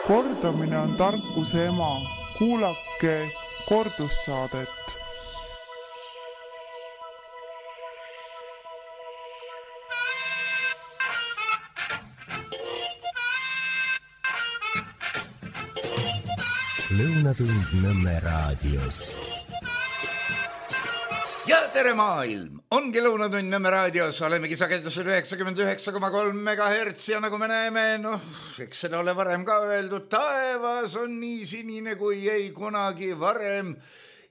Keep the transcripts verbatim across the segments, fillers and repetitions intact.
Kordamine on tarkuse ema. Kuulake kordussaadet. Lõunatund Nõmme raadios. Ja tere maailm! Ongi Lõunatund Nõmme raadios. Olemegi sagedusel üheksakümmend üheksa koma kolm megahertsi ja nagu me näeme, noh, eks seda ole varem ka öeldud, taevas on nii sinine kui ei kunagi varem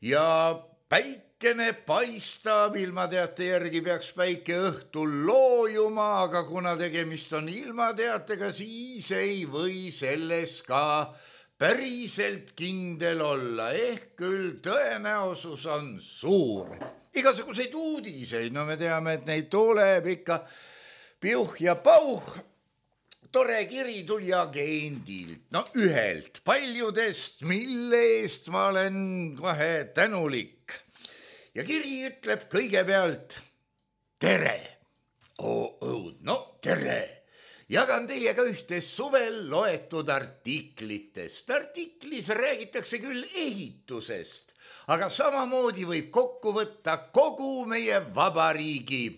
ja päikene paistab. Ilmateate järgi peaks päike õhtul loojuma, aga kuna tegemist on ilmateatega, siis ei või selles ka päriselt kindel olla, ehk küll tõenäosus on suur. Igasuguseid uudiseid, no me teame, et neid tuleb ikka piuh ja pauh. Tore kiri tuli agendilt, no ühelt paljudest, mille eest ma olen kohe tänulik. Ja kiri ütleb kõigepealt tere. Oh, oh, no tere. Jagan teiega ühte suvel loetud artiklitest. Artiklis räägitakse küll ehitusest, aga samamoodi võib kokku võtta kogu meie vabariigi,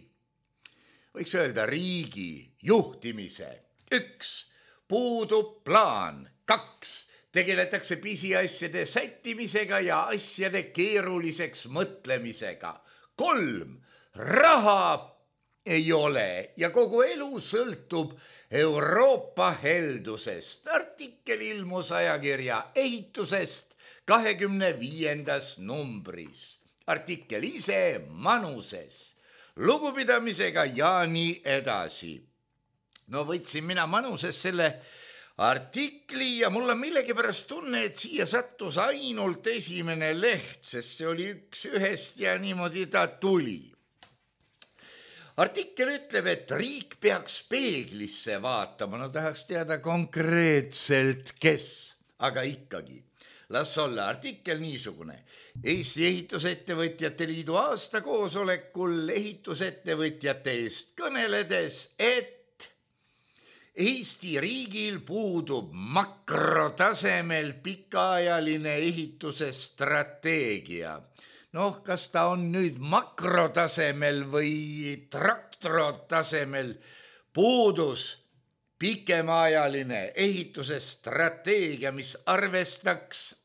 võiks öelda riigi juhtimise. Üks, puudub plaan. Kaks, tegeletakse pisiasjade sättimisega ja asjade keeruliseks mõtlemisega. Kolm, raha ei ole ja kogu elu sõltub Euroopa heldusest. Artikkel ilmus ajakirja ehitusest kahekümne viiendas numbris. Artikkel ise Manuses. Lugupidamisega ja nii edasi. No võtsin mina Manuses selle artikli ja mul on millegipärast tunne, et siia sattus ainult esimene leht, sest see oli üks ühest ja niimoodi ta tuli. Artikkel ütleb, et riik peaks peeglisse vaatama, no tahaks teada konkreetselt, kes, aga ikkagi. Las olla artikkel niisugune. Eesti Ehitusettevõtjate Liidu aastakoosolekul ehitusettevõtjate eest kõneledes, et Eesti riigil puudub makrotasemel pikaajaline ehituse strateegia. Noh, kas ta on nüüd makrotasemel või traktrotasemel, puudus pikemaajaline ehituse strateegia, mis arvestaks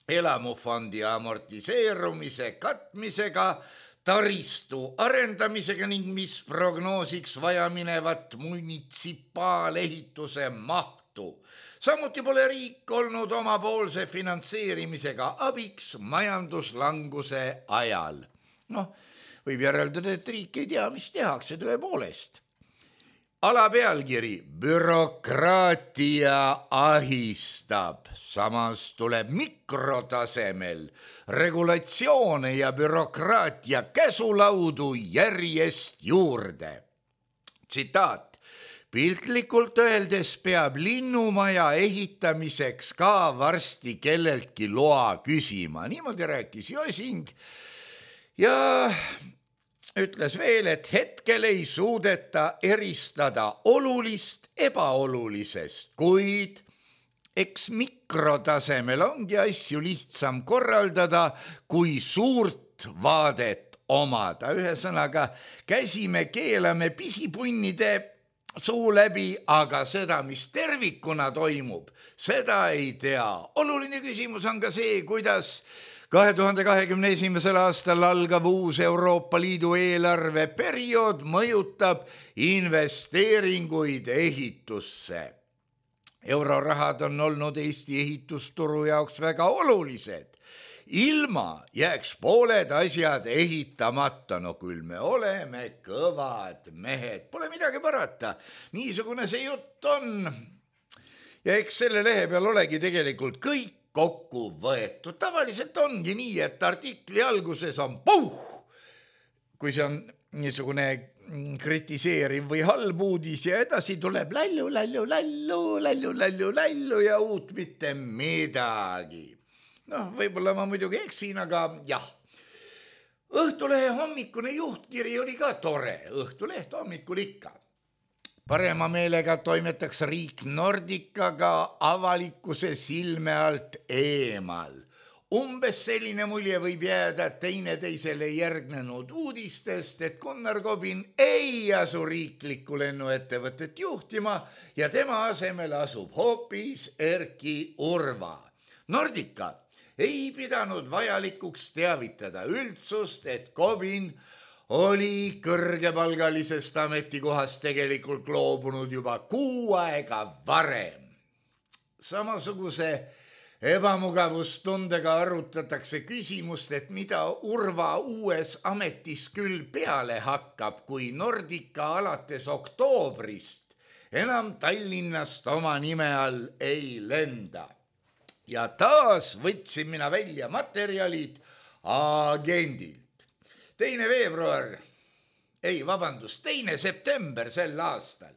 elamufondi amortiseerumise katmisega, taristu arendamisega ning mis prognoosiks vajaminevat munitsipaalehituse mahtu. Samuti pole riik olnud omapoolse finantseerimisega abiks majanduslanguse ajal. Noh, võib järeldada, et riik ei tea, mis tehakse tõepoolest. Alapealkiri bürokraatia ahistab, samas tuleb mikrotasemel regulatsioone ja bürokraatia käsulaudu järjest juurde. Tsitaat. Piltlikult öeldes peab linnumaja ehitamiseks ka varsti kelleltki loa küsima. Niimoodi rääkis Josing ja ütles veel, et hetkel ei suudeta eristada olulist ebaolulisest, kuid eks mikrotasemel ongi asju lihtsam korraldada, kui suurt vaadet omada. Ühesõnaga, käsime keelame pisipunnide suu läbi, aga seda, mis tervikuna toimub, seda ei tea. Oluline küsimus on ka see, kuidas kahe tuhande kahekümne esimesel aastal algav uus Euroopa Liidu eelarveperiood mõjutab investeeringuid ehitusse. Eurorahad on olnud Eesti ehitusturu jaoks väga olulised. Ilma jääks pooled asjad ehitamata, no küll me oleme kõvad mehed, pole midagi parata, niisugune see jutt on. Ja eks selle lehe peal olegi tegelikult kõik kokku võetud. Tavaliselt ongi nii, et artikli alguses on puh, kui see on niisugune kritiseeriv või halb uudis ja edasi tuleb lallu, lallu, lallu, lallu, lallu, lallu ja uut mitte midagi. Noh, võib-olla ma muidugi eksin, aga jah. Õhtulehe hommikune juhtkiri oli ka tore. Õhtuleht hommikul ikka. parema meelega toimetaks riik Nordicaga avalikkuse silme alt eemal. Umbes selline mulje võib jääda teineteisele järgnenud uudistest, et Gunnar Kobin ei asu riiklikku lennuettevõtet juhtima ja tema asemel asub hoopis Erki Urva. Nordica ei pidanud vajalikuks teavitada üldsust, et Kobin oli kõrgepalgalisest ametikohast tegelikult loobunud juba kuu aega varem. Samasuguse ebamugavustundega arutatakse küsimust, et mida Urva uues ametis küll peale hakkab, kui Nordica alates oktoobrist enam Tallinnast oma nime all ei lenda. Ja taas võtsin mina välja materjalid agendilt. Teine veebruar, ei vabandust, teine september sel aastal.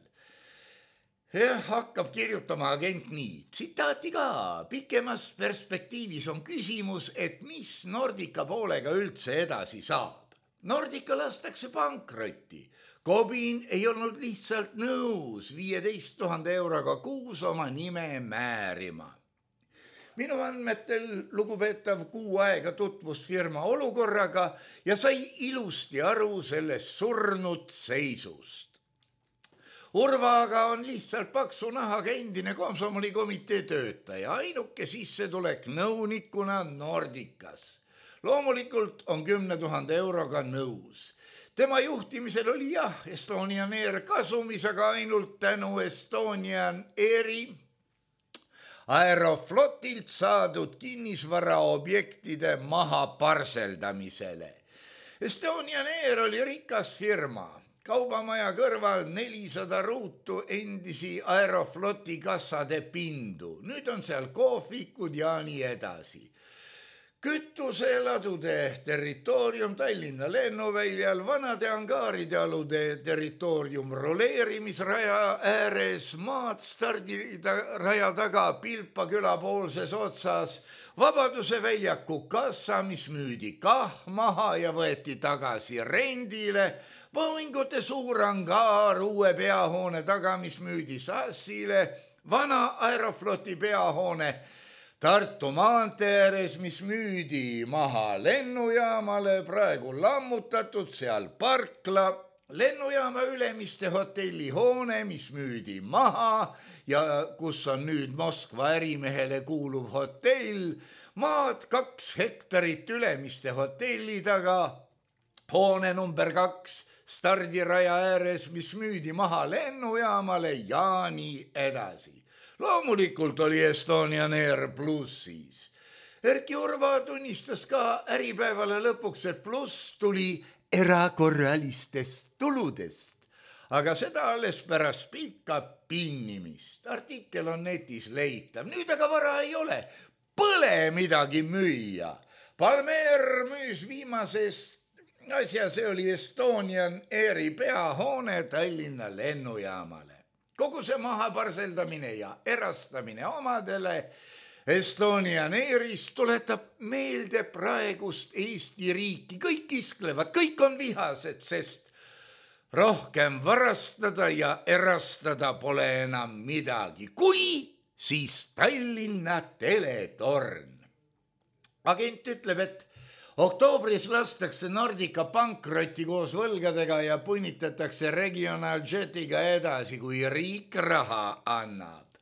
Ja, hakkab kirjutama agent nii, tsitaati ka, pikemas perspektiivis on küsimus, et mis Nordica poolega üldse edasi saab. Nordica lastakse pankrotti. Kobin ei olnud lihtsalt nõus viieteist tuhande euroga kuus oma nime määrima. Minu andmetel lugupeetav kuu aega tutvus firma olukorraga ja sai ilusti aru sellest surnud seisust. Urvaga on lihtsalt paksu nahaga endine komsomolikomitee töötaja, ainuke sissetulek nõunikuna Nordicas. Loomulikult on kümne tuhande euroga nõus. Tema juhtimisel oli jah, Estonian Air kasumis, aga ainult tänu Estonian Airi Aeroflotilt saadud kinnisvaraobjektide maha parseldamisele. Estonian Air oli rikas firma. Kaubamaja kõrval nelisada ruutu endisi Aerofloti kassade pindu. Nüüd on seal kohvikud ja nii edasi. Kütuseladude territoorium Tallinna lennuväljal, vanade angaaride alude territoorium roleerimisraja ääres, maad stardiraja taga Pilpa küla poolses otsas, Vabaduse väljaku kassa, mis müüdi kah maha ja võeti tagasi rendile, Boeingute suur angaar uue peahoone taga, mis müüdi Sassile, vana Aerofloti peahoone Tartu maantee ääres, mis müüdi maha lennujaamale, praegu lammutatud, seal parkla, lennujaama ülemiste hotellihoone, mis müüdi maha ja kus on nüüd Moskva ärimehele kuuluv hotell, maad kaks hektarit ülemiste hotelli taga, hoone number kaks stardiraja ääres, mis müüdi maha lennujaamale ja nii edasi. Loomulikult oli Estonian Air plussis. Erki Urva tunnistas ka Äripäevale lõpuks, et pluss tuli erakorralistest tuludest, aga seda alles pärast pikka pinnimist. Artikkel on netis leitav, nüüd aga vara ei ole, põle midagi müüa. Palmer müüs viimasest asja, see oli Estonian Airi peahoone Tallinna lennujaamale. Kogu see maha parseldamine ja erastamine omadele Estonian Airist tuletab meelde praegust Eesti riiki. Kõik isklevad, kõik on vihased, sest rohkem varastada ja erastada pole enam midagi. Kui, siis Tallinna teletorn. Agent ütleb, et oktoobris lastakse Nordica pankrotti koos võlgadega ja punnitatakse regionaaljetiga edasi, kui riik raha annab.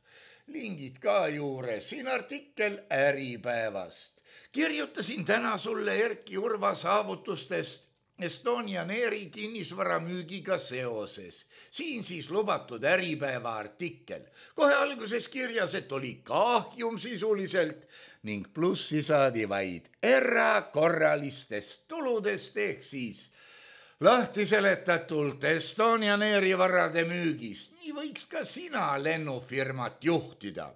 Lingid ka juures, siin artikkel Äripäevast. Kirjutasin täna sulle Erki Urva saavutustest Estonian Airi kinnisvara müügiga seoses. Siin siis lubatud Äripäeva artikkel. Kohe alguses kirjas, et oli kahjum sisuliselt ning plussi saadi vaid erakorralistest tuludest ehk siis lahti seletatult Estonian Airi varade müügist. Nii võiks ka sina lennufirmat juhtida.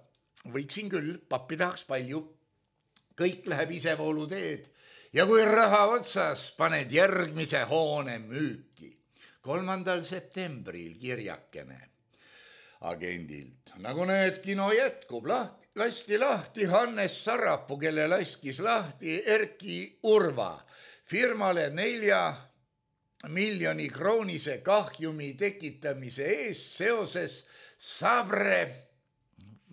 Võiksin küll, pappi tahaks palju. Kõik läheb isevoolu teed ja kui raha otsas, paned järgmise hoone müüki. kolmandal septembril kirjakene agendilt. Nagu need kino jätkub, lahti. Lasti lahti Hannes Sarapuu, kelle laskis lahti Erki Urva firmale nelja miljoni kroonise kahjumi tekitamise eest seoses Sabre,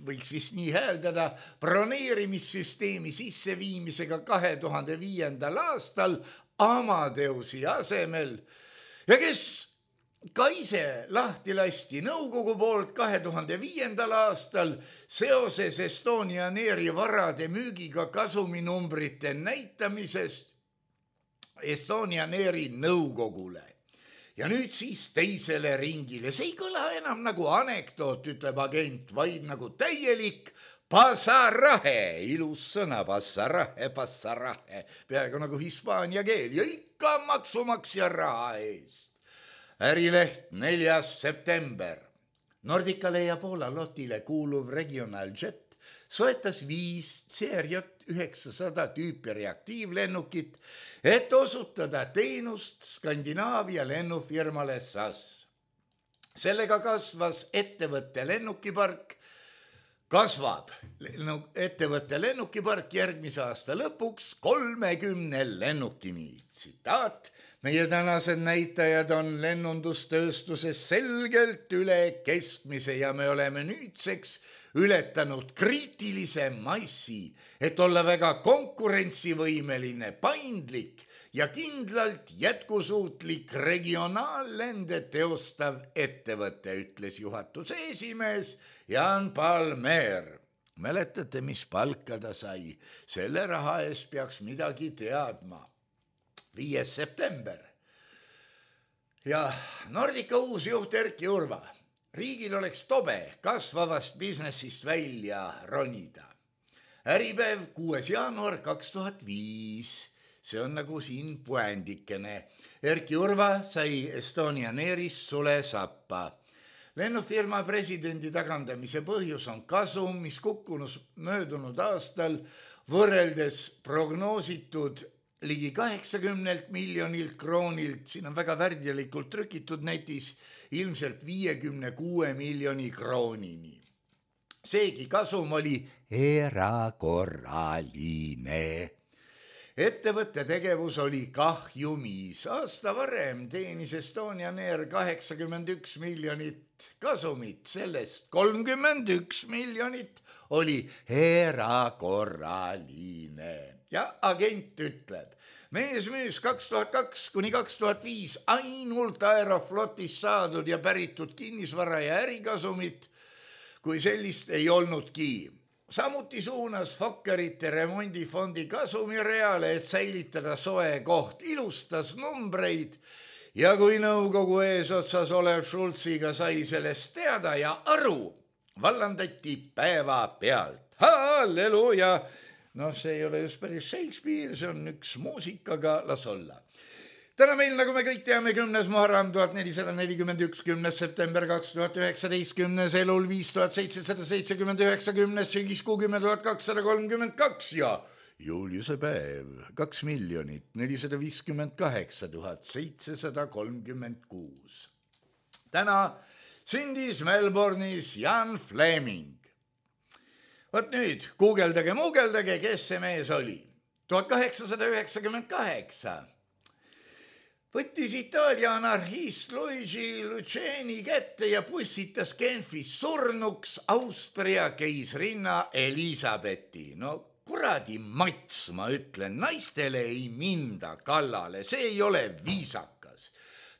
võiks vist nii hääldada, broneerimissüsteemi sisseviimisega kahe tuhande viiendal aastal Amadeusi asemel ja kes ka ise lahti lasti nõukogu poolt kahe tuhande viiendal aastal seoses Estonian Airi varade müügiga kasuminumbrite näitamisest Estonian Airi nõukogule. Ja nüüd siis teisele ringile. See ei kõla enam nagu anekdoot, ütleb agent, vaid nagu täielik pasarahe. Ilus sõna, pasarahe, pasarahe. Peaaegu nagu hispaania keel ja ikka maksumaksja raha eest. Ärileht neljas september. Nordicale ja Poola lotile kuuluv Regional Jet soetas viis C R J üheksasada tüüpi reaktiivlennukit, et osutada teenust Skandinaavia lennufirmale S A S. Sellega kasvas ettevõtte lennukipark, kasvab ettevõtte lennukipark järgmise aasta lõpuks kolmekümne lennukini. Tsitaat, meie tänased näitajad on lennundustööstuses selgelt üle keskmise ja me oleme nüüdseks ületanud kriitilise massi, et olla väga konkurentsivõimeline, paindlik ja kindlalt jätkusuutlik regionaallende teostav ettevõte, ütles juhatuse esimees Jan Palmer. Mäletate, mis palka ta sai? Selle raha eest peaks midagi teadma. viies september. Ja Nordica uus juht Erki Urva. Riigil oleks tobe kasvavast businessist välja ronida. Äripäev kuues jaanuar kaks tuhat viis. See on nagu siin puändikene. Erki Urva sai Estonian Airist sule sappa. Lennufirma presidendi tagandamise põhjus on kasum, mis kukkunus möödunud aastal võrreldes prognoositud ligi kaheksakümnelt miljonilt kroonilt, siin on väga värdjalikult trükitud netis, ilmselt viiekümne kuue miljoni kroonini. Seegi kasum oli erakorraline. Ettevõtte tegevus oli kahjumis. Aasta varem teenis Estonian Air kaheksakümmend üks miljonit kasumit, sellest kolmkümmend üks miljonit oli erakorraline. Ja agent ütleb, mees müüs kaks tuhat kaks kuni kaks tuhat viis ainult Aeroflotis saadud ja päritud kinnisvara ja ärikasumit, kui sellist ei olnudki. Samuti suunas Fokkerite remondifondi kasumireale, et säilitada soe koht, ilustas numbreid ja kui nõukogu eesotsas olev Schulziga sai sellest teada ja aru, vallandati päeva pealt. Halleluuja! No see ei ole just päris Shakespeare, see on üks muusikaga, las olla. Täna meil, nagu me kõik teame, kümnes Muharram tuhat nelisada nelikümmend üks, kümnes september kaks tuhat üheksateist, kümnes Elul viis tuhat seitsesada seitsekümmend üheksa, kümnes sügiskuu kümme tuhat kakssada kolmkümmend kaks ja Juliuse päev kaks miljonit nelisada viiskümmend kaheksa tuhat seitsesada kolmkümmend kuus. Täna sündis Melbourne'is Jan Fleming. Võt nüüd, guugeldage, muugeldage, kes see mees oli. tuhat kaheksasada üheksakümmend kaheksa võttis Itaalia anarhist Luigi Luceni kätte ja pussitas Genfis surnuks Austria keisrinna Elisabethi. No kuradi mats, ma ütlen, naistele ei minda kallale, see ei ole viisakas.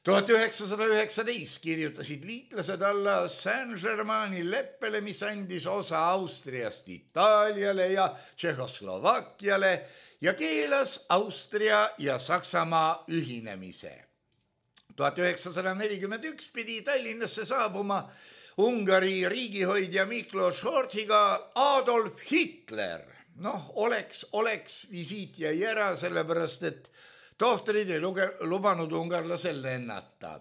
tuhat üheksasada üheksateist kirjutasid liitlased alla Saint-Germaini leppele, mis andis osa Austriast Itaaliale ja Tšehhoslovakkiale ja keelas Austria ja Saksamaa ühinemise. tuhat üheksasada nelikümmend üks pidi Tallinnasse saabuma Ungari riigihoidja Miklos Horthiga Adolf Hitler. Noh, oleks, oleks visiit jäi ära, sellepärast et tohtrid ei luge, lubanud ungarlasel lennata.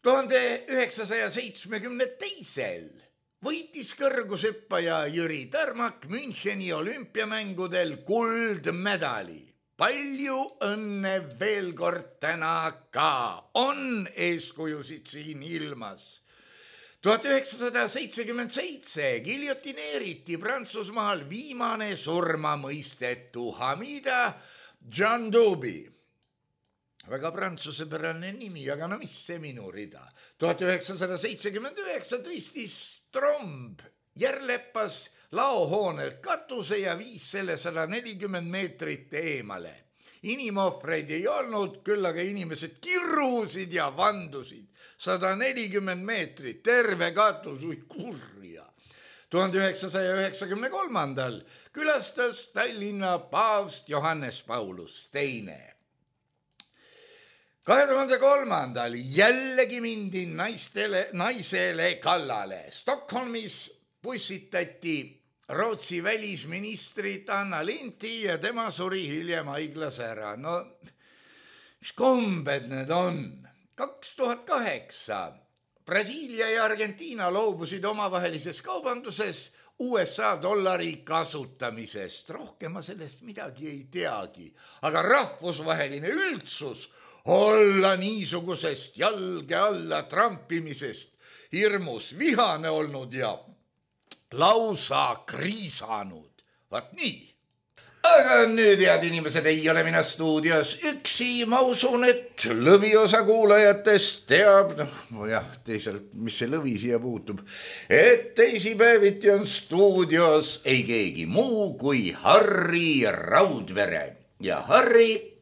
tuhande üheksasaja seitsmekümne teisel võitis kõrgushüppaja Jüri Tarmak Müncheni olümpiamängudel kuldmedali. Palju õnne veel kord täna ka. On eeskujusid siin ilmas. tuhat üheksasada seitsekümmend seitse giljotineeriti Prantsusmaal viimane surmamõistetu Hamida Džandoubi. väga prantsusepärane nimi, aga no mis see minu rida. tuhat üheksasada seitsekümmend üheksa tõstis tromb Järlepas laohoonelt katuse ja viis selle sada nelikümmend meetrit eemale. Inimohvreid ei olnud, küll aga inimesed kirrusid ja vandusid. sada nelikümmend meetrit, terve katus, ui kurja. tuhande üheksasaja üheksakümne kolmandal külastas Tallinna paavst Johannes Paulus teine. kahe tuhande kolmandal jällegi mindi naistele, naisele kallale. Stockholmis pussitati Rootsi välisministrit Anna Lindti ja tema suri hiljem haiglas ära. No mis kombed need on? kaks tuhat kaheksa Brasiilia ja Argentiina loobusid omavahelises kaubanduses U S A dollari kasutamisest. Rohkem ma sellest midagi ei teagi, aga rahvusvaheline üldsus olla niisugusest jalge alla trampimisest hirmus vihane olnud ja lausa kriisanud. Vaat nii. Aga nüüd, head inimesed, ei ole mina stuudios üksi. Ma usun, et lõviosa kuulajatest teab, noh jah, teisalt, mis see lõvi siia puutub, et teisipäeviti on stuudios ei keegi muu kui Harri Raudvere. Ja Harri,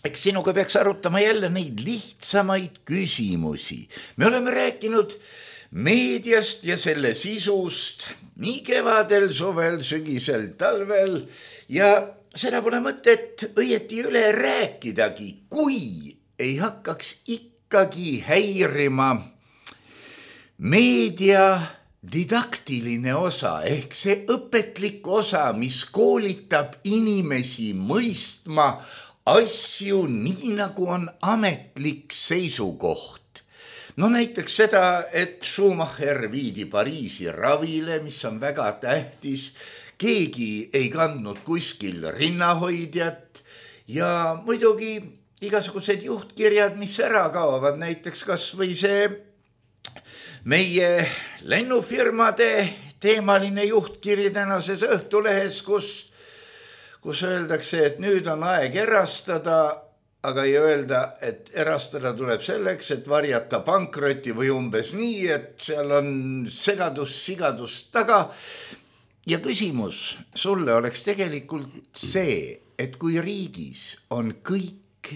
eks sinuga peaks arutama jälle neid lihtsamaid küsimusi. Me oleme rääkinud meediast ja selle sisust nii kevadel, suvel, sügisel, talvel ja seda pole mõtet õieti üle rääkidagi, kui ei hakkaks ikkagi häirima meedia didaktiline osa ehk see õpetlik osa, mis koolitab inimesi mõistma asju nii, nagu on ametlik seisukoht. No näiteks seda, et Schumacher viidi Pariisi ravile, mis on väga tähtis, keegi ei kandnud kuskil rinnahoidjat ja muidugi igasugused juhtkirjad, mis ära kaovad, näiteks kas või see meie lennufirmade teemaline juhtkiri tänases Õhtulehes, kus, kus öeldakse, et nüüd on aeg erastada, aga ei öelda, et erastada tuleb selleks, et varjata pankroti või umbes nii, et seal on segadus, sigadus taga. Ja küsimus sulle oleks tegelikult see, et kui riigis on kõik,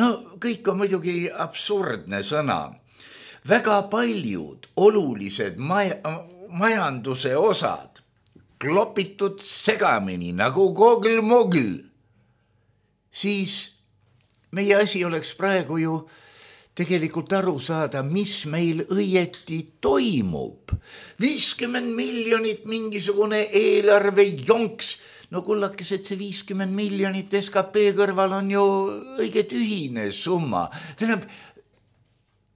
no kõik on muidugi absurdne sõna, väga paljud olulised maja, majanduse osad klopitud segamini nagu kogl-mogl, siis meie asi oleks praegu ju tegelikult aru saada, mis meil õieti toimub. viiskümmend miljonit mingisugune eelarve jonks. No kullakesed, see viiskümmend miljonit S K P kõrval on ju õige tühine summa. Tähendab,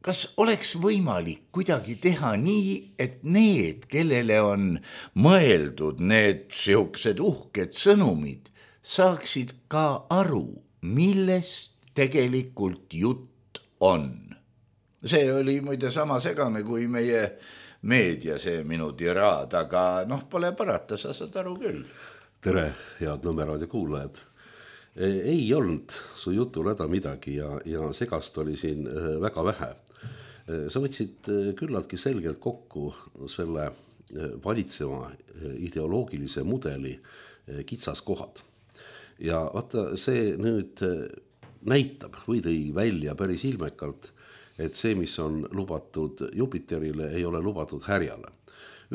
kas oleks võimalik kuidagi teha nii, et need, kellele on mõeldud need siuksed uhked sõnumid, saaksid ka aru, millest tegelikult jutt on. See oli muide sama segane kui meie meedia, see minu tiraad, aga noh, pole parata, sa saad aru küll. Tere, head Nõmme raadio kuulajad. Ei olnud su jutul häda midagi ja, ja segast oli siin väga vähe. Sa võtsid küllaltki selgelt kokku selle valitseva ideoloogilise mudeli kitsaskohad. Ja vaata, see nüüd näitab või tõi välja päris ilmekalt, et see, mis on lubatud Jupiterile, ei ole lubatud härjale.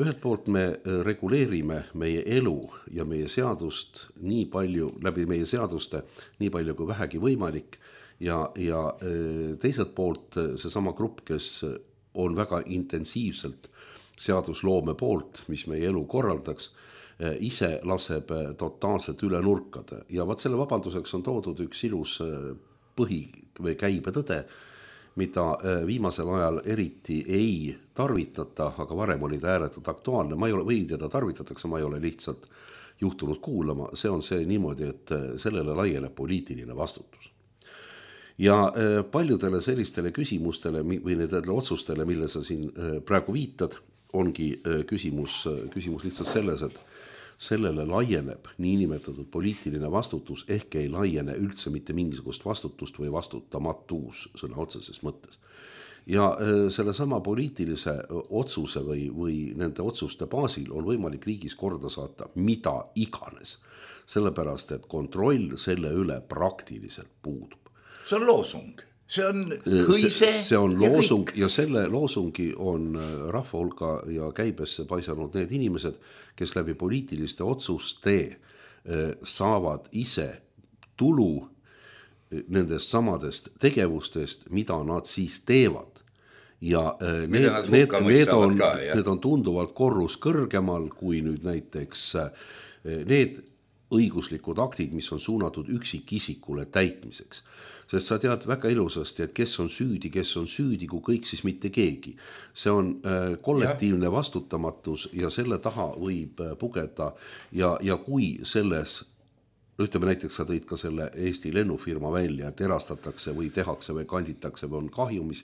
Ühelt poolt me reguleerime meie elu ja meie seadust nii palju, läbi meie seaduste nii palju kui vähegi võimalik ja, ja teiselt poolt seesama grupp, kes on väga intensiivselt seadusloome poolt, mis meie elu korraldaks, ise laseb totaalselt üle nurkade. Ja vaat selle vabanduseks on toodud üks ilus põhi või käibetõde, mida viimasel ajal eriti ei tarvitata, aga varem oli ta ääretult aktuaalne. Ma ei ole, või teda tarvitatakse, ma ei ole lihtsalt juhtunud kuulama. See on see niimoodi, et sellele laieneb poliitiline vastutus. Ja paljudele sellistele küsimustele või nendele otsustele, mille sa siin praegu viitad, ongi küsimus, küsimus lihtsalt selles, et sellele laieneb niinimetatud poliitiline vastutus, ehk ei laiene üldse mitte mingisugust vastutust või vastutamatus sõna otseses mõttes. Ja selle sama poliitilise otsuse või, või nende otsuste baasil on võimalik riigis korda saata mida iganes, sellepärast et kontroll selle üle praktiliselt puudub. See on loosung, see on hõise see, see on ja loosung kõik. Ja selle loosungi on rahva hulka ja käibesse paisanud need inimesed, kes läbi poliitiliste otsuste saavad ise tulu nendest samadest tegevustest, mida nad siis teevad. Ja need, need, need, on, ka, need on tunduvalt korrus kõrgemal kui nüüd näiteks need õiguslikud aktid, mis on suunatud üksikisikule täitmiseks. Sest sa tead väga ilusasti, et kes on süüdi, kes on süüdi, kui kõik siis mitte keegi. See on kollektiivne ja. vastutamatus ja selle taha võib pugeda ja, ja kui selles, ütleme näiteks sa tõid ka selle Eesti lennufirma välja, et erastatakse või tehakse või kanditakse või on kahjumis,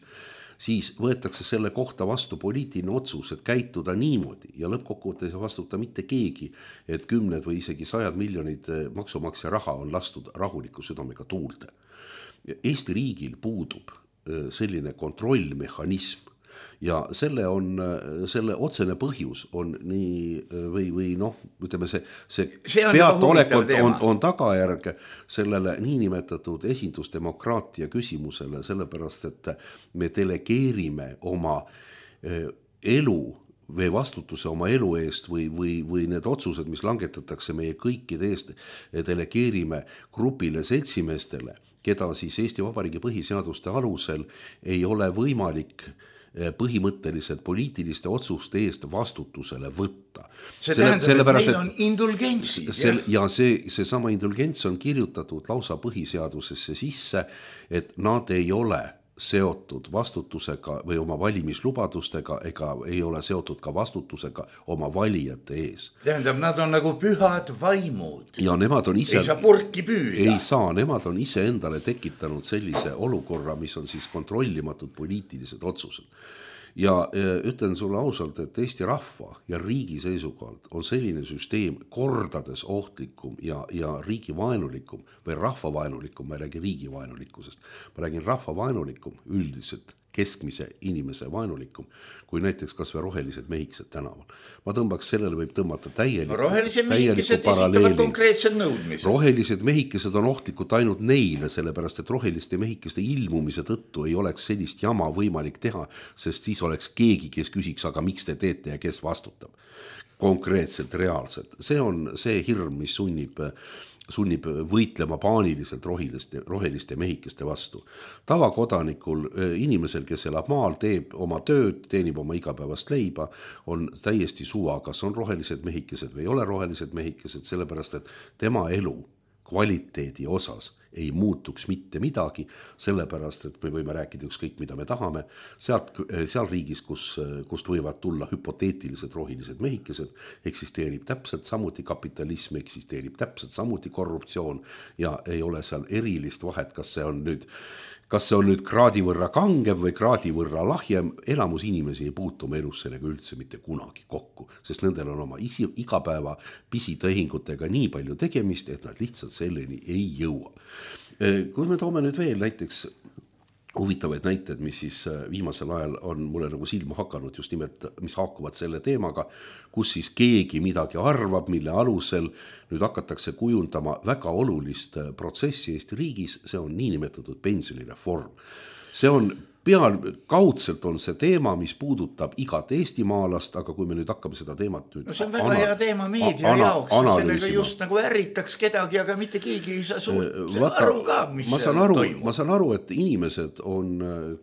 siis võetakse selle kohta vastu poliitiline otsus, et käituda niimoodi ja lõppkokkuvõttes ei vastuta mitte keegi, et kümned või isegi sajad miljonid maksumaksja raha on lastud rahuliku südamega tuulde. Eesti riigil puudub selline kontrollmehhanism ja selle, on, selle otsene põhjus on nii või, või noh, ütleme see, see, see peataolekult on, on tagajärg sellele niinimetatud esindusdemokraatia küsimusele, sellepärast et me delegeerime oma elu või vastutuse oma elu eest või, või, või need otsused, mis langetatakse meie kõikide eest, delegeerime grupile seltsimeestele, keda siis Eesti Vabariigi põhiseaduste alusel ei ole võimalik põhimõtteliselt poliitiliste otsuste eest vastutusele võtta. See tähendab, selle, et meil on indulgentsid. Sel, ja see, see sama indulgents on kirjutatud lausa põhiseadusesse sisse, et nad ei ole seotud vastutusega või oma valimislubadustega ega ei ole seotud ka vastutusega oma valijate ees. Tähendab, nad on nagu pühad vaimud. Ja nemad on ise, ei saa purki püüda. Ei saa, nemad on ise endale tekitanud sellise olukorra, mis on siis kontrollimatud poliitilised otsused. Ja ütlen sulle ausalt, et Eesti rahva ja riigi seisukohalt on selline süsteem kordades ohtlikum ja, ja riigivaenulikum või rahvavaenulikum, ma ei räägi riigivaenulikkusest, ma räägin rahvavaenulikum üldiselt keskmise inimese vaenulikum, kui näiteks kas või rohelised mehikesed tänaval. Ma tõmbaks, sellele võib tõmmata täieliku, no, rohelised mehikesed esitavad konkreetsed nõudmised. Rohelised mehikesed on ohtlikud ainult neile, sellepärast et roheliste mehikeste ilmumise tõttu ei oleks sellist jama võimalik teha, sest siis oleks keegi, kes küsiks, aga miks te teete ja kes vastutab. Konkreetselt, reaalselt. See on see hirm, mis sunnib sunnib võitlema paaniliselt roheliste, roheliste mehikeste vastu. Tavakodanikul, inimesel, kes elab maal, teeb oma tööd, teenib oma igapäevast leiba, on täiesti suva, kas on rohelised mehikesed või ei ole rohelised mehikesed, sellepärast et tema elu kvaliteedi osas ei muutuks mitte midagi, sellepärast et me võime rääkida ükskõik, mida me tahame. Sealt, seal riigis, kus, kust võivad tulla hüpoteetilised rohelised mehikesed, eksisteerib täpselt samuti kapitalism, eksisteerib täpselt samuti korruptsioon ja ei ole seal erilist vahet, kas see on nüüd, kas see on nüüd kraadi võrra kangem või kraadi võrra lahjem. Elamus inimesi ei puutu oma elus sellega üldse mitte kunagi kokku, sest nendel on oma isi, igapäeva pisitehingutega nii palju tegemist, et nad lihtsalt selleni ei jõua. Kui me toome nüüd veel näiteks huvitavaid näited, mis siis viimasel ajal on mulle nagu silma hakanud, just nimelt, mis haakuvad selle teemaga, kus siis keegi midagi arvab, mille alusel nüüd hakatakse kujundama väga olulist protsessi Eesti riigis, see on niinimetatud pensionireform. See on peal, kaudselt on see teema, mis puudutab igat eestimaalast, aga kui me nüüd hakkame seda teemat nüüd no see on väga ana, hea teema meedia ana, jaoks, sellega just nagu ärritaks kedagi, aga mitte keegi ei saa suurt Vaata, aru ka, mis ma saan aru, toimub. Ma saan aru, et inimesed on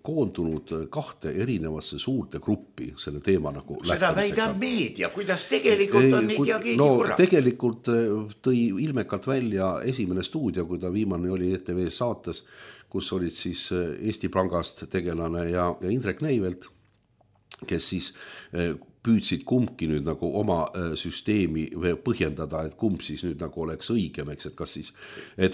koondunud kahte erinevasse suurde gruppi selle teema nagu seda väidab meedia, kuidas tegelikult on ei tea keegi no, kurat. Tegelikult tõi ilmekalt välja esimene stuudio, kui ta viimane oli E T V saates, kus olid siis Eesti Pangast tegelane ja, ja Indrek Neivelt, kes siis püüdsid kumbki nüüd nagu oma süsteemi põhjendada, et kumb siis nüüd nagu oleks õigem, eks, et kas siis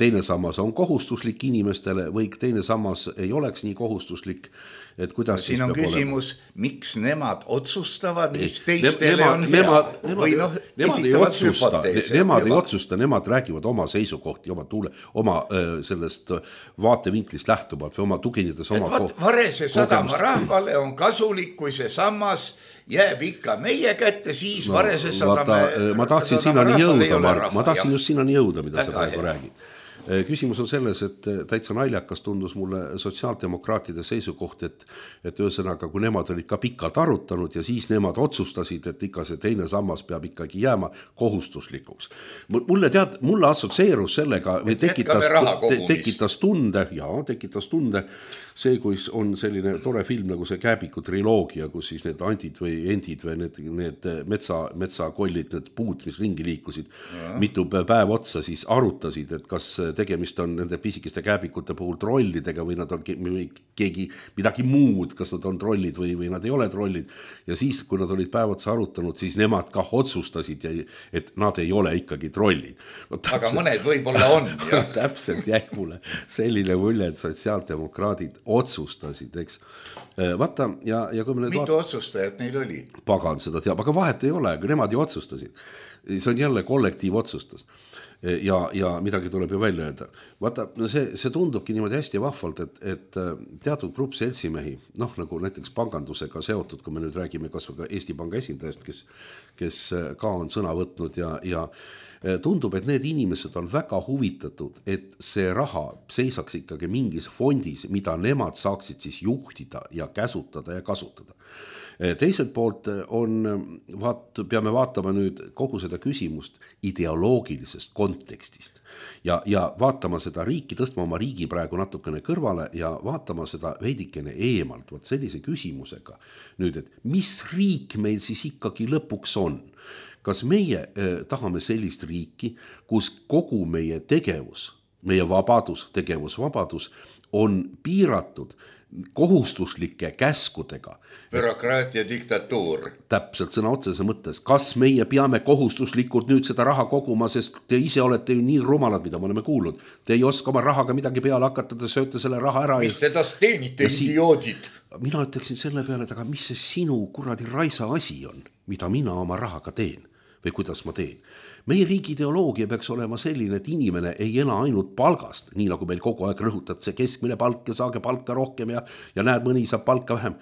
teine sammas on kohustuslik inimestele või teine sammas ei oleks nii kohustuslik, et kuidas siin on küsimus, olema? Miks nemad otsustavad, mis teistele nemad, on nemad, hea nemad, või noh, nemad ei otsusta, nemad ei otsusta, nemad räägivad oma seisukohti, oma, tuule, oma sellest vaatevinklist lähtuvalt või oma tuginedes oma koht. Varese sadama rahvale on kasulik, kui see sammas jääb ikka meie kätte, siis no, Varese sadame ma tahtsin sinnani jõuda, Mark, ma tahtsin just sinnani jõuda, mida sa praegu räägid. Küsimus on selles, et täitsa naljakas tundus mulle sotsiaaldemokraatide seisukoht, et, et ühesõnaga, kui nemad olid ka pikalt arutanud ja siis nemad otsustasid, et ikka see teine sammas peab ikkagi jääma kohustuslikuks. Mulle tead, mulle assotsieerus sellega või tekitas, te, tekitas tunde, jaa, tekitas tunde see, kui on selline tore film nagu see Kääbiku triloogia, kus siis need andid või endid või need, need metsa, metsakollid, need puud, mis ringi liikusid, ja. mitu päev otsa siis arutasid, et kas tegemist on nende pisikeste kääbikute puhul trollidega või nad on keegi midagi muud, kas nad on trollid või, või nad ei ole trollid. Ja siis, kui nad olid päev otsa arutanud, siis nemad kah otsustasid, et nad ei ole ikkagi trollid. No, täpselt, aga mõned võib-olla on. Täpselt jäi mulle selline mulje, et sotsiaaldemokraadid otsustasid, eks. Vaata, ja, ja kui me mitu vaat... otsustajat neil oli? Pagan seda teab, aga vahet ei ole, aga nemad ju otsustasid. See on jälle kollektiiv otsustas. Ja, ja midagi tuleb ju välja öelda. Vaata, see, see tundubki niimoodi hästi vahvalt, et, et teatud grupp seltsimehi, noh nagu näiteks pangandusega seotud, kui me nüüd räägime kas või ka Eesti Panga esindajast, kes, kes ka on sõna võtnud ja, ja tundub, et need inimesed on väga huvitatud, et see raha seisaks ikkagi mingis fondis, mida nemad saaksid siis juhtida ja käsutada ja kasutada. Teiselt poolt on, vaat, peame vaatama nüüd kogu seda küsimust ideoloogilisest kontekstist ja, ja vaatama seda riiki, tõstma oma riigi praegu natukene kõrvale ja vaatama seda veidikene eemalt, vaat sellise küsimusega nüüd, et mis riik meil siis ikkagi lõpuks on? Kas meie eh, tahame sellist riiki, kus kogu meie tegevus, meie vabadus, tegevusvabadus on piiratud kohustuslike käskudega. Bürokraatia diktatuur. Täpselt sõna otsese mõttes. Kas meie peame kohustuslikult nüüd seda raha koguma, sest te ise olete ju nii rumalad, mida me oleme kuulnud. Te ei oska oma rahaga midagi peale hakata, te sööte selle raha ära. Mis te tas teenite, idioodid? Mina ütleksin selle peale, et aga mis see sinu kuradi raisa asi on, mida mina oma rahaga teen või kuidas ma teen. Meie riigi ideoloogia peaks olema selline, et inimene ei ela ainult palgast, nii nagu meil kogu aeg rõhutad see keskmine palk ja saage palka rohkem ja, ja näed, mõni saab palka vähem.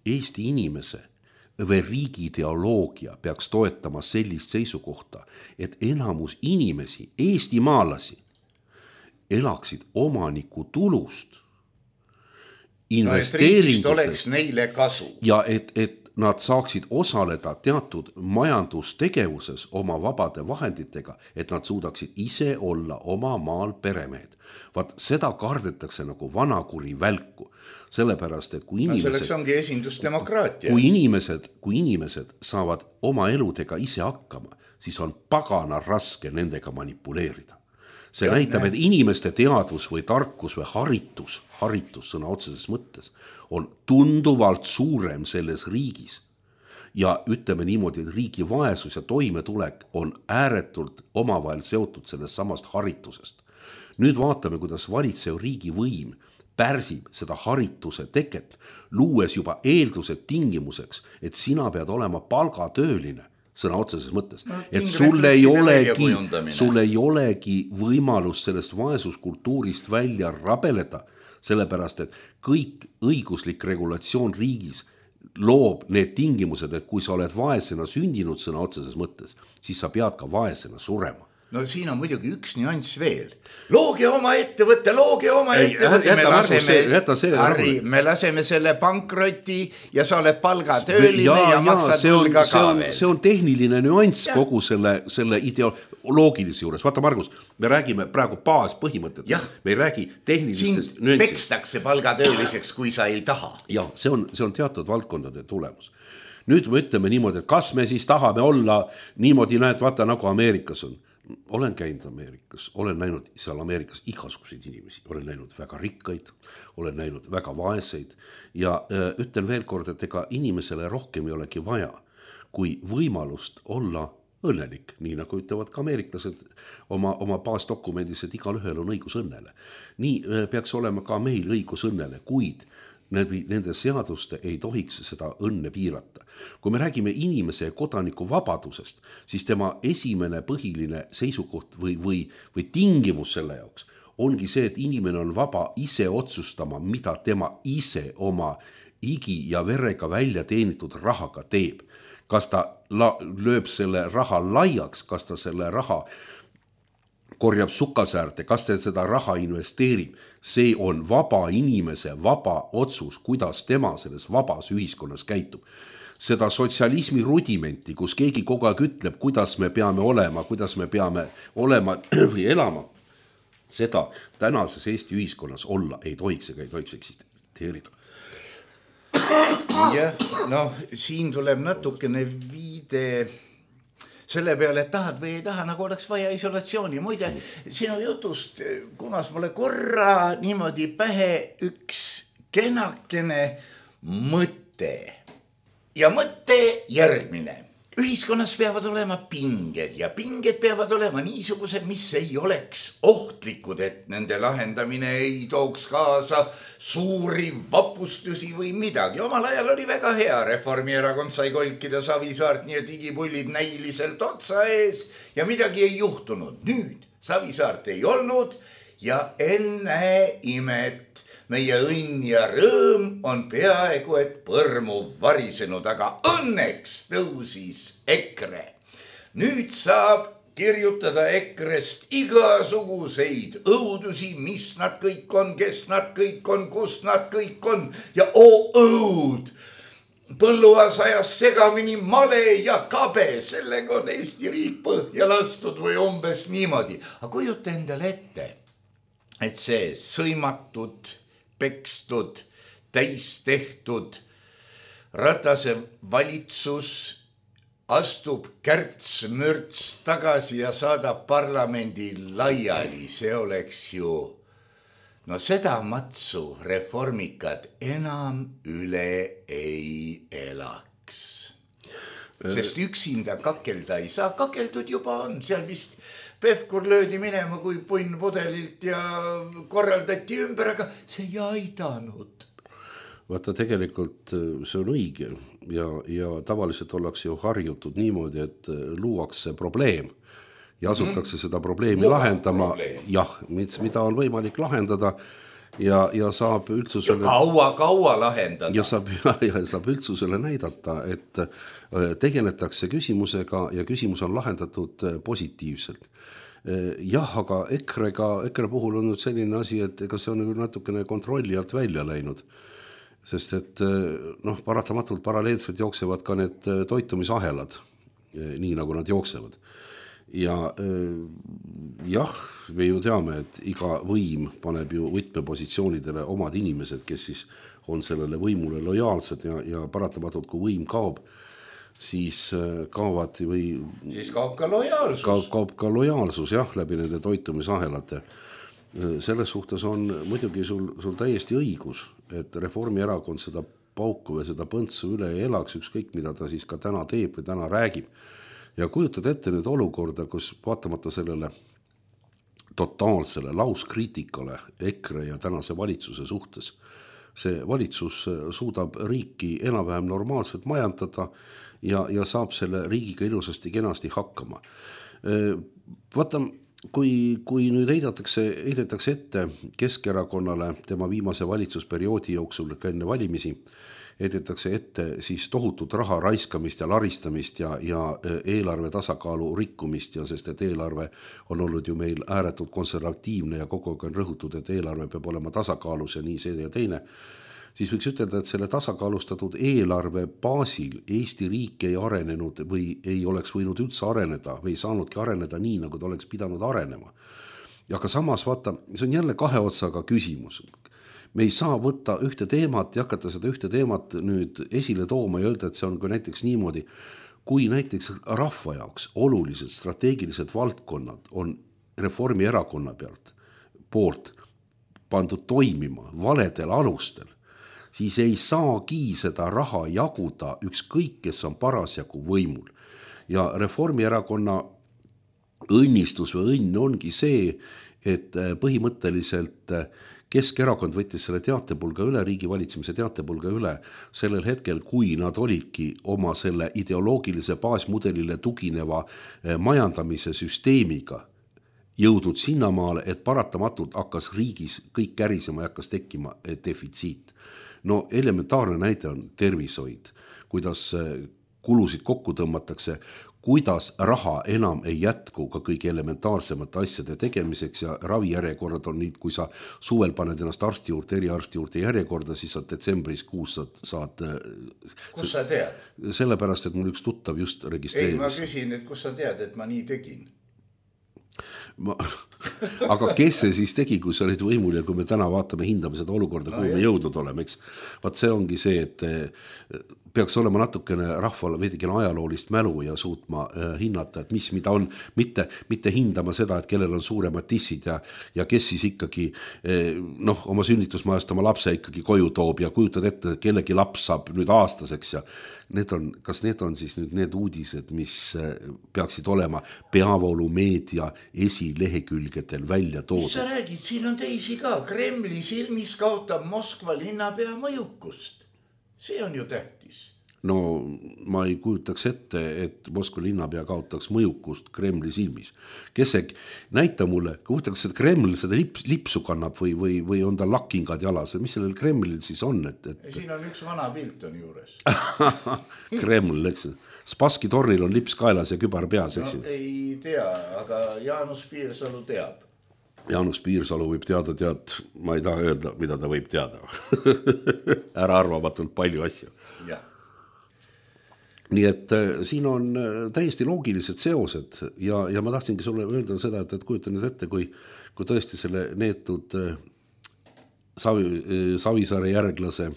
Eesti inimese või riigi ideoloogia peaks toetama sellist seisukohta, et enamus inimesi, Eesti maalasi, elaksid omaniku tulust, investeeringutest no, oleks neile kasu. Ja et, et nad saaksid osaleda teatud majandustegevuses oma vabade vahenditega, et nad suudaksid ise olla oma maal peremehed. Vaat seda kardetakse nagu vanakuri välku, sellepärast, et kui inimesed... No selleks ongi esindusdemokraatia. Kui inimesed, kui inimesed saavad oma eludega ise hakkama, siis on pagana raske nendega manipuleerida. See ja, näitab, et inimeste teadvus või tarkus või haritus, haritus sõna otseses mõttes, on tunduvalt suurem selles riigis. Ja ütleme niimoodi, et riigi vaesus ja toimetulek on ääretult omavahel seotud sellest samast haritusest. Nüüd vaatame, kuidas valitsev riigi võim pärsib seda harituse teket, luues juba eeldused tingimuseks, et sina pead olema palgatööline, sõna otseses mõttes, no, et sul ei, olegi, sul ei olegi võimalus sellest vaesuskultuurist välja rabeleda, sellepärast, et kõik õiguslik regulatsioon riigis loob need tingimused, et kui sa oled vaesena sündinud sõna otseses mõttes, siis sa pead ka vaesena surema. No siin on muidugi üks nüanss veel. Looge oma ettevõtte, looge oma ei, ettevõtte. Me laseme, see, Harri, me laseme selle pankroti ja sa oled palgatööline ja, ja maksad võlga ka on, veel. See on tehniline nüanss ja. Kogu selle, selle ideoloogilise juures. Vaata, Margus, me räägime praegu baaspõhimõtet. Me ei räägi tehnilistest nüanssist. Siin pekstakse palgatööliseks, kui sa ei taha. Ja, see on, see on teatud valdkondade tulemus. Nüüd me ütleme niimoodi, et kas me siis tahame olla niimoodi, näed, vaata nagu Ameerikas on. Olen käinud Ameerikas, olen näinud seal Ameerikas igasuguseid inimesi, olen näinud väga rikkaid, olen näinud väga vaeseid ja äh, ütlen veel kord, et ega inimesele rohkem ei olegi vaja, kui võimalust olla õnnelik, nii nagu ütlevad ka ameeriklased oma, oma baasdokumendis, et igal ühel on õigus õnnele. Nii peaks olema ka meil õigus õnnele, kuid nende seaduste ei tohiks seda õnne piirata. Kui me räägime inimese ja kodaniku vabadusest, siis tema esimene põhiline seisukoht või, või, või tingimus selle jaoks ongi see, et inimene on vaba ise otsustama, mida tema ise oma igi ja verega välja teenitud rahaga teeb. Kas ta la- lööb selle raha laiaks, kas ta selle raha korjab sukasäärde, kas ta seda raha investeerib. See on vaba inimese vaba otsus, kuidas tema selles vabas ühiskonnas käitub. Seda sotsialismi rudimenti, kus keegi kogu aeg ütleb, kuidas me peame olema, kuidas me peame olema või elama, seda tänases Eesti ühiskonnas olla ei tohiks ega ei tohiks eksisteerida. Jah, noh, siin tuleb natukene viide selle peale, et tahad või ei taha, nagu oleks vaja isolatsiooni. Muide, sinu jutust kumas mulle korra niimoodi pähe üks kenakene mõte. Ja mõte järgmine. Ühiskonnas peavad olema pinged ja pinged peavad olema niisugused, mis ei oleks ohtlikud, et nende lahendamine ei tooks kaasa suuri vapustusi või midagi. Omal ajal oli väga hea. Reformierakond sai kolkida Savisaart, nii et digipullid näiliselt otsa ees ja midagi ei juhtunud. Nüüd Savisaart ei olnud ja enne imet. Meie õnn ja rõõm on peaaegu et põrmu varisenud, aga õnneks tõusis EKRE. Nüüd saab kirjutada EKRE-st igasuguseid õudusi, mis nad kõik on, kes nad kõik on, kus nad kõik on ja oo õud. Põlluas ajas segamini male ja kabe, sellega on Eesti riik põhja lastud või umbes niimoodi. Aga kujuta endale ette, et see sõimatud, pekstud, täis tehtud Ratase valitsus astub kärts-mürts tagasi ja saadab parlamendi laiali. See oleks ju, no seda matsu reformikad enam üle ei elaks. Sest üksinda kakelda ei saa, kakeldud juba on, seal vist Pevkur löödi minema kui punn pudelilt ja korraldati ümber, aga see ei aidanud. Vaata, tegelikult see on õige ja, ja tavaliselt ollakse ju harjutud niimoodi, et luuakse probleem ja asutakse mm. seda probleemi Luua lahendama, probleem. jah, mida on võimalik lahendada ja, ja saab üldsusele... Ja kaua, kaua lahendada. Ja saab, ja, ja saab üldsusele näidata, et tegeletakse küsimusega ja küsimus on lahendatud positiivselt. Jah, aga EKRE-ga, EKRE puhul on nüüd selline asi, et ega see on natukene kontrolli alt välja läinud. Sest et noh, paratamatult paralleelselt jooksevad ka need toitumisahelad, nii nagu nad jooksevad. Ja jah, me ju teame, et iga võim paneb ju võtmepositsioonidele omad inimesed, kes siis on sellele võimule lojaalsed ja, ja paratamatult, kui võim kaob, siis kaovad või... Siis kaob ka lojaalsus. Kaob, kaob ka lojaalsus, jah, läbi nende toitumisahelate. Selles suhtes on muidugi sul, sul täiesti õigus, et Reformierakond seda pauku või seda põntsu üle ei elaks, ükskõik mida ta siis ka täna teeb või täna räägib. Ja kujutad ette nüüd olukorda, kus vaatamata sellele totaalsele lauskriitikale EKRE ja tänase valitsuse suhtes, see valitsus suudab riiki enam-vähem normaalselt majandada ja, ja saab selle riigiga ilusasti kenasti hakkama. Vaata, kui, kui nüüd heidatakse, heidetakse ette Keskerakonnale tema viimase valitsusperioodi jooksul ka enne valimisi, heidetakse ette siis tohutut raha raiskamist ja laristamist ja, ja eelarve tasakaalu rikkumist, ja sest et eelarve on olnud ju meil ääretult konservatiivne ja kogu aeg on rõhutud, et eelarve peab olema tasakaalus ja nii see ja teine, siis võiks ütelda, et selle tasakaalustatud eelarve baasil Eesti riik ei arenenud või ei oleks võinud üldse areneda või saanudki areneda nii, nagu ta oleks pidanud arenema. Ja ka samas, vaata, see on jälle kahe otsaga küsimus. Me ei saa võtta ühte teemat ja hakata seda ühte teemat nüüd esile tooma ja öelda, et see on kui näiteks niimoodi, kui näiteks rahva jaoks olulised strateegilised valdkonnad on Reformierakonna pealt poolt pandud toimima valedel alustel, siis ei saagi seda raha jaguda ükskõik, kes on parasjagu võimul. Ja Reformierakonna õnnistus või õnn ongi see, et põhimõtteliselt Keskerakond võttis selle teatepulga üle, riigi valitsemise teatepulga üle sellel hetkel, kui nad olidki oma selle ideoloogilise baasmudelile tugineva majandamise süsteemiga jõudnud sinnamaale, et paratamatult hakkas riigis kõik kärisema ja hakkas tekkima defitsiit. No elementaarne näide on tervishoid, kuidas kulusid kokku tõmmatakse, kuidas raha enam ei jätku ka kõige elementaarsemate asjade tegemiseks ja ravijärjekorrad on nüüd, kui sa suvel paned ennast arsti juurde, eriarsti juurde järjekorda, siis sa detsembris kuus saad... saad kus sa tead? Sellepärast, et mul üks tuttav just registreeris. Ei, ma küsin, et kus sa tead, et ma nii tegin? Ma, aga kes see siis tegi, kui sa olid võimul ja kui me täna vaatame, hindame seda olukorda, no, kuhu jah. me jõudnud oleme, eks? Vaat see ongi see, et peaks olema natukene rahval veidikene ajaloolist mälu ja suutma äh, hinnata, et mis mida on, mitte, mitte hindama seda, et kellel on suuremad tissid ja, ja kes siis ikkagi äh, noh, oma sünnitusmajast oma lapse ikkagi koju toob ja kujutad ette, kellegi laps saab nüüd aastaseks ja need on, kas need on siis nüüd need uudised, mis äh, peaksid olema peavoolumeedia esilehekülgedel välja toodud? Mis sa räägid, siin on teisi ka, Kremli silmis kaotab Moskva linnapea mõjukust. See on ju tähtis. No ma ei kujutaks ette, et Moskva linnapea kaotaks mõjukust Kremli silmis. Kes see, näita mulle, kujutaks, et Kreml seda lips, lipsu kannab või, või, või on ta lakkingad jalas või mis sellel Kremlil siis on? Et, et... Siin on üks vana pilt on juures. Kreml, eks. Spassky tornil on lips kaelas ja kübar peas, eks? No, ei tea, aga Jaanus Piirsalu teab. Jaanus Piirsalu võib teada, tead, ma ei taha öelda, mida ta võib teada. Ära arvamatult palju asju. Jah. Nii et äh, siin on äh, täiesti loogilised seosed ja, ja ma tahtsingi sulle öelda seda, et, et kujuta nüüd ette, kui, kui tõesti selle neetud äh, Savi, äh, Savisaare järglase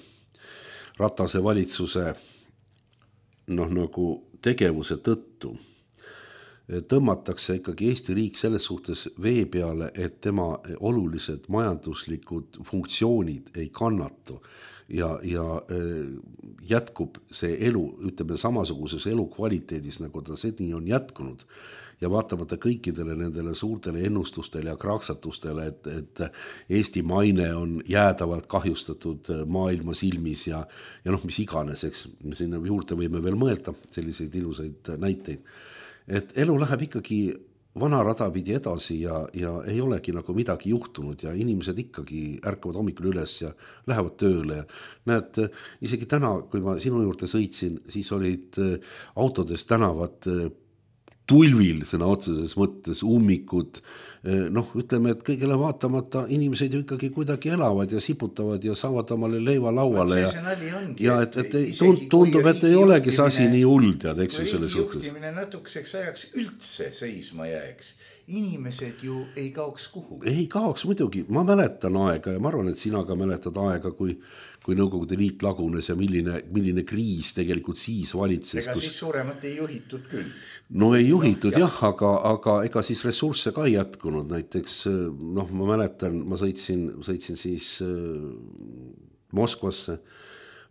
Ratase valitsuse noh, nagu tegevuse tõttu tõmmatakse ikkagi Eesti riik selles suhtes vee peale, et tema olulised majanduslikud funktsioonid ei kannatu ja, ja jätkub see elu, ütleme samasuguses elukvaliteedis, nagu ta seni on jätkunud ja vaatamata kõikidele nendele suurtele ennustustele ja kraaksatustele, et, et Eesti maine on jäädavalt kahjustatud maailma silmis ja, ja noh, mis iganes, eks, sinna juurde võime veel mõelda selliseid ilusaid näiteid. Et elu läheb ikkagi vana rada pidi edasi ja, ja ei olegi nagu midagi juhtunud ja inimesed ikkagi ärkavad hommikul üles ja lähevad tööle. Ja näed, isegi täna, kui ma sinu juurde sõitsin, siis olid autodes tänavad tulvil sõna otseses mõttes ummikud. Noh, ütleme, et kõigele vaatamata inimesed ju ikkagi kuidagi elavad ja siputavad ja saavad omale leiva lauale. Ja, ongi, ja et, et, et tund, tundub, et ei olegi see asi nii hull, tead, eks ju selle suhtes. Kui juhtimine natukeseks ajaks üldse seisma jääks, inimesed ju ei kaoks kuhu. Ei kaoks muidugi. Ma mäletan aega ja ma arvan, et sina ka mäletad aega, kui kui Nõukogude Liit lagunes ja milline, milline kriis tegelikult siis valitses. Ega kus... siis suuremat ei juhitud küll. No ei juhitud no, jah, jah, aga, aga ega siis ressursse ka ei jätkunud. Näiteks, noh, ma mäletan, ma sõitsin, sõitsin siis äh, Moskvasse.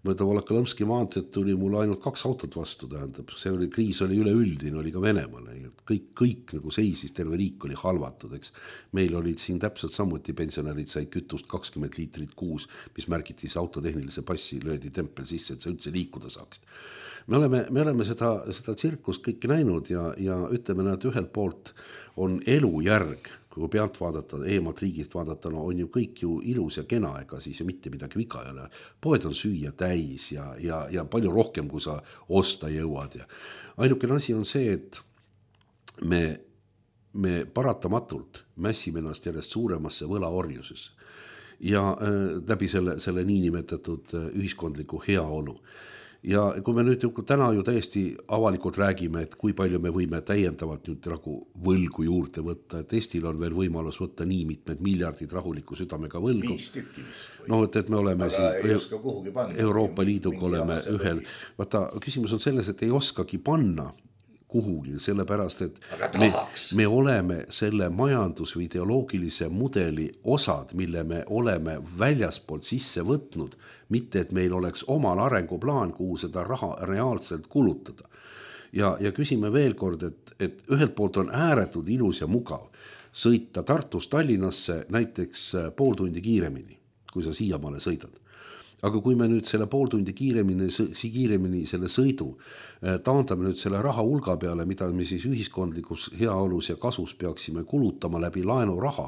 Mõõda Volokõlõmski maanteed tuli mul ainult kaks autot vastu, tähendab. See oli, kriis oli üleüldine, oli ka Venemaale. Kõik, kõik nagu seisis, terve riik oli halvatud, eks. Meil olid siin täpselt samuti pensionärid said kütust kakskümmend liitrit kuus, mis märgiti see autotehnilise passi, löödi tempel sisse, et sa üldse liikuda saaksid. Me oleme, me oleme seda, seda tsirkust kõike näinud ja, ja ütleme, et ühelt poolt on elujärg, kui pealt vaadata, eemalt riigist vaadata, no on ju kõik ju ilus ja kena, ega siis ju mitte midagi viga ei ole. Poed on süüa täis ja, ja, ja palju rohkem, kui sa osta jõuad. Ja ainukene asi on see, et me, me paratamatult mässime ennast järjest suuremasse võlaorjuses ja äh, läbi selle, selle niinimetatud äh, ühiskondliku heaolu. Ja kui me nüüd täna ju täiesti avalikult räägime, et kui palju me võime täiendavalt nüüd nagu võlgu juurde võtta, et Eestil on veel võimalus võtta nii mitmed miljardid rahuliku südamega võlgu. Viis tükki vist. No, et, et me oleme siis Euroopa Liiduga oleme ühel. Vaata, küsimus on selles, et ei oskagi panna, kuhugi, sellepärast, et me, me oleme selle majandus- või ideoloogilise mudeli osad, mille me oleme väljaspoolt sisse võtnud, mitte et meil oleks omal arenguplaan, kuhu seda raha reaalselt kulutada. Ja, ja küsime veel kord, et, et ühelt poolt on ääretult ilus ja mugav sõita Tartust Tallinnasse näiteks pool tundi kiiremini, kui sa siiamaale sõidad. Aga kui me nüüd selle pool tundi kiiremini, kiiremini selle sõidu taandame nüüd selle raha hulga peale, mida me siis ühiskondlikus heaolus ja kasus peaksime kulutama läbi laenuraha,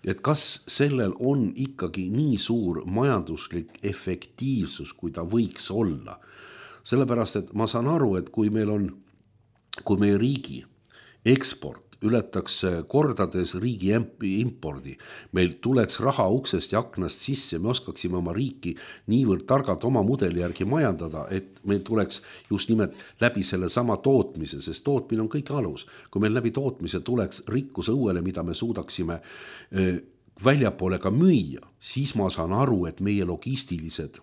et kas sellel on ikkagi nii suur majanduslik efektiivsus, kui ta võiks olla. Sellepärast, et ma saan aru, et kui meil on, kui meie riigi eksport ületaks kordades riigi impordi, meil tuleks raha uksest ja aknast sisse, me oskaksime oma riiki niivõrd targalt oma mudeli järgi majandada, et meil tuleks just nimelt läbi selle sama tootmise, sest tootmine on kõik alus. Kui meil läbi tootmise tuleks rikkuse õuele, mida me suudaksime väljapoole ka müüa, siis ma saan aru, et meie logistilised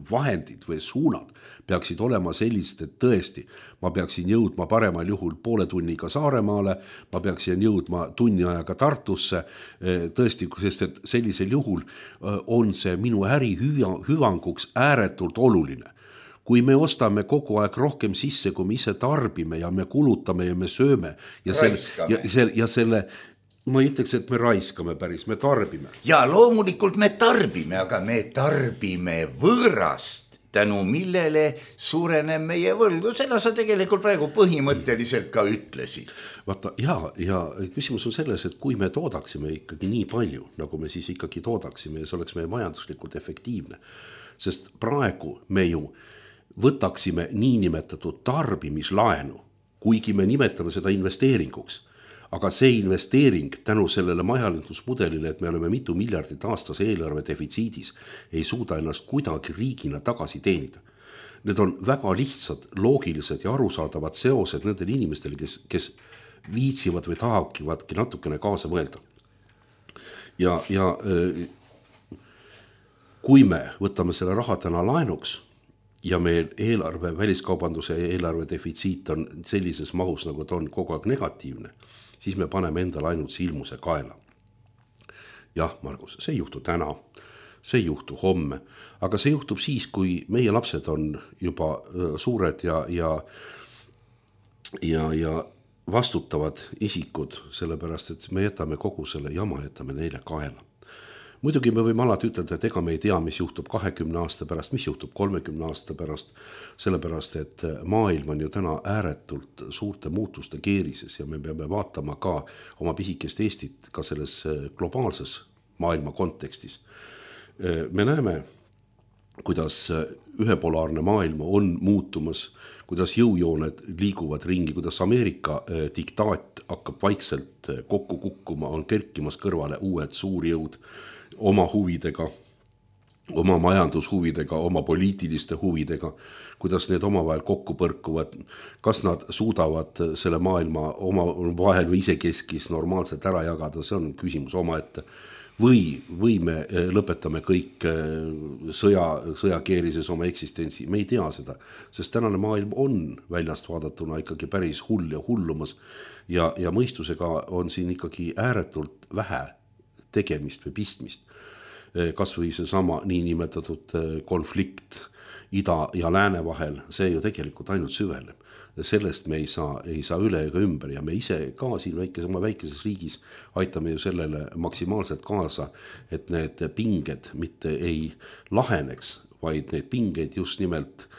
vahendid või suunad peaksid olema sellised, et tõesti, ma peaksin jõudma paremal juhul poole tunniga Saaremaale, ma peaksin jõudma tunni ajaga Tartusse, tõesti, sest et sellisel juhul on see minu äri hüvanguks ääretult oluline. Kui me ostame kogu aeg rohkem sisse, kui me ise tarbime ja me kulutame ja me sööme ja selle, ja, selle, ja selle ma ütleks, et me raiskame päris, me tarbime. Ja loomulikult me tarbime, aga me tarbime võõrast, tänu millele suureneb meie võlgu. Seda sa tegelikult praegu põhimõtteliselt ka ütlesid. Vaata, ja, ja küsimus on selles, et kui me toodaksime ikkagi nii palju, nagu me siis ikkagi toodaksime ja see oleks meie majanduslikult efektiivne, sest praegu me ju võtaksime niinimetatud tarbimislaenu, kuigi me nimetame seda investeeringuks. Aga see investeering tänu sellele majandusmudelile, et me oleme mitu miljardit aastas eelarve defitsiidis, ei suuda ennast kuidagi riigina tagasi teenida. Need on väga lihtsad, loogilised ja arusaadavad seosed nendel inimestel, kes, kes viitsivad või tahakivadki natukene kaasa mõelda. Ja, ja kui me võtame selle raha täna laenuks ja meil eelarve, väliskaubanduse eelarve defitsiit on sellises mahus, nagu ta on kogu aeg negatiivne, siis me paneme endale ainult silmuse kaela. Jah, Margus, see ei juhtu täna, see ei juhtu homme, aga see juhtub siis, kui meie lapsed on juba suured ja, ja, ja, ja vastutavad isikud, sellepärast, et me jätame kogu selle jama, jätame neile kaela. Muidugi me võime alati ütelda, et ega me ei tea, mis juhtub kahekümne aasta pärast, mis juhtub kolmekümne aasta pärast, sellepärast, et maailm on ju täna ääretult suurte muutuste keerises ja me peame vaatama ka oma pisikest Eestit ka selles globaalses maailma kontekstis. Me näeme, kuidas ühepolaarne maailm on muutumas, kuidas jõujooned liiguvad ringi, kuidas Ameerika diktaat hakkab vaikselt kokku kukkuma, on kerkimas kõrvale uued suurjõud, oma huvidega, oma majandushuvidega, oma poliitiliste huvidega, kuidas need omavahel kokku põrkuvad, kas nad suudavad selle maailma oma vahel või isekeskis normaalselt ära jagada, see on küsimus omaette. Või, või me lõpetame kõik sõja, sõjakeerises oma eksistentsi, me ei tea seda, sest tänane maailm on väljast vaadatuna ikkagi päris hull ja hullumas ja, ja mõistusega on siin ikkagi ääretult vähe tegemist või pistmist. Kas või see sama niinimetatud konflikt ida ja lääne vahel, see ju tegelikult ainult süveneb. Sellest me ei saa, ei saa üle ega ümber ja me ise ka siin väikes, oma väikeses riigis aitame ju sellele maksimaalselt kaasa, et need pinged mitte ei laheneks, vaid need pingeid just nimelt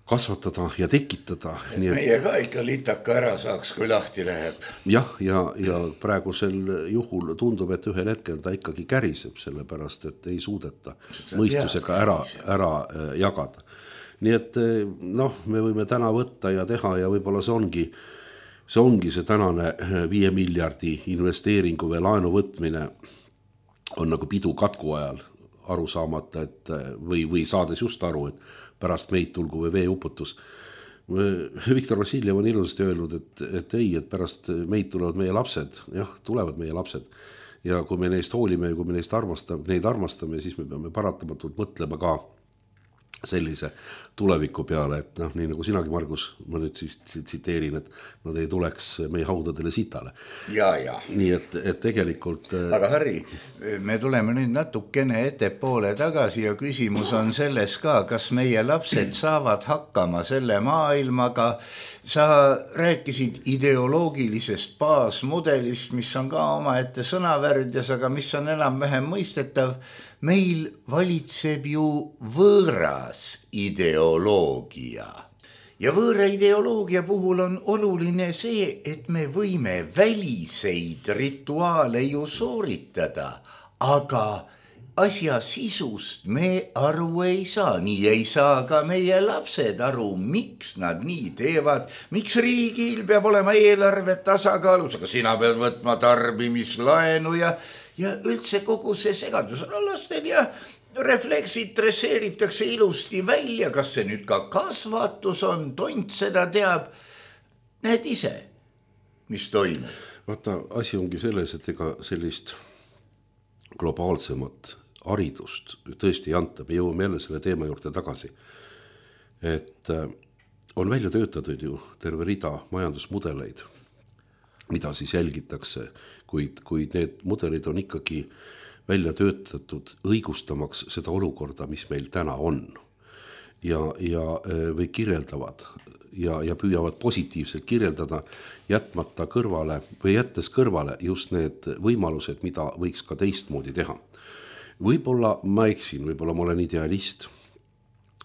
kasvatada ja tekitada. Nii, et meie ka ikka litaka ära saaks, kui lahti läheb. Jah, ja, ja praegusel juhul tundub, et ühel hetkel ta ikkagi käriseb, sellepärast, et ei suudeta mõistusega ära, ära jagada. Nii et noh, me võime täna võtta ja teha ja võib-olla see ongi, see ongi see tänane viie miljardi investeeringu või laenu võtmine on nagu pidu katku ajal aru saamata, et või, või saades just aru, et pärast meid tulgu või veeuputus. Viktor Vassiljev on ilusasti öelnud, et, et ei, et pärast meid tulevad meie lapsed, jah, tulevad meie lapsed. Ja kui me neist hoolime ja kui me neist armastame, neid armastame, siis me peame paratamatult mõtlema ka sellise tuleviku peale, et noh, nii nagu sinagi, Margus, ma nüüd siis tsiteerin, et nad ei tuleks meie haudadele sitale. Ja, ja. Nii et, et tegelikult... Aga Harri, me tuleme nüüd natukene ettepoole tagasi ja küsimus on selles ka, kas meie lapsed saavad hakkama selle maailmaga. Sa rääkisid ideoloogilisest baasmudelist, mis on ka oma ette sõnavärdjas, aga mis on enam vähem mõistetav. Meil valitseb ju võõras ideoloogia. Ja võõra ideoloogia puhul on oluline see, et me võime väliseid rituaale ju sooritada, aga asja sisust me aru ei saa. Nii ei saa ka meie lapsed aru, miks nad nii teevad, miks riigil peab olema eelarve tasakaalus, aga sina pead võtma tarbimislaenu ja Ja üldse kogu see segadus on lastel ja refleksid dresseeritakse ilusti välja, kas see nüüd ka kasvatus on, tont seda teab. Näed ise, mis toimub. Vaata, asi ongi selles, et ega sellist globaalsemat haridust tõesti ei anta. Me jõuame jälle selle teema juurde tagasi. Et on välja töötatud ju terve rida majandusmudeleid, mida siis jälgitakse, kuid, kuid need mudelid on ikkagi välja töötatud õigustamaks seda olukorda, mis meil täna on. Ja, ja või kirjeldavad ja, ja püüavad positiivselt kirjeldada, jätmata kõrvale või jättes kõrvale just need võimalused, mida võiks ka teistmoodi teha. Võib-olla ma eksin, võib-olla ma olen idealist.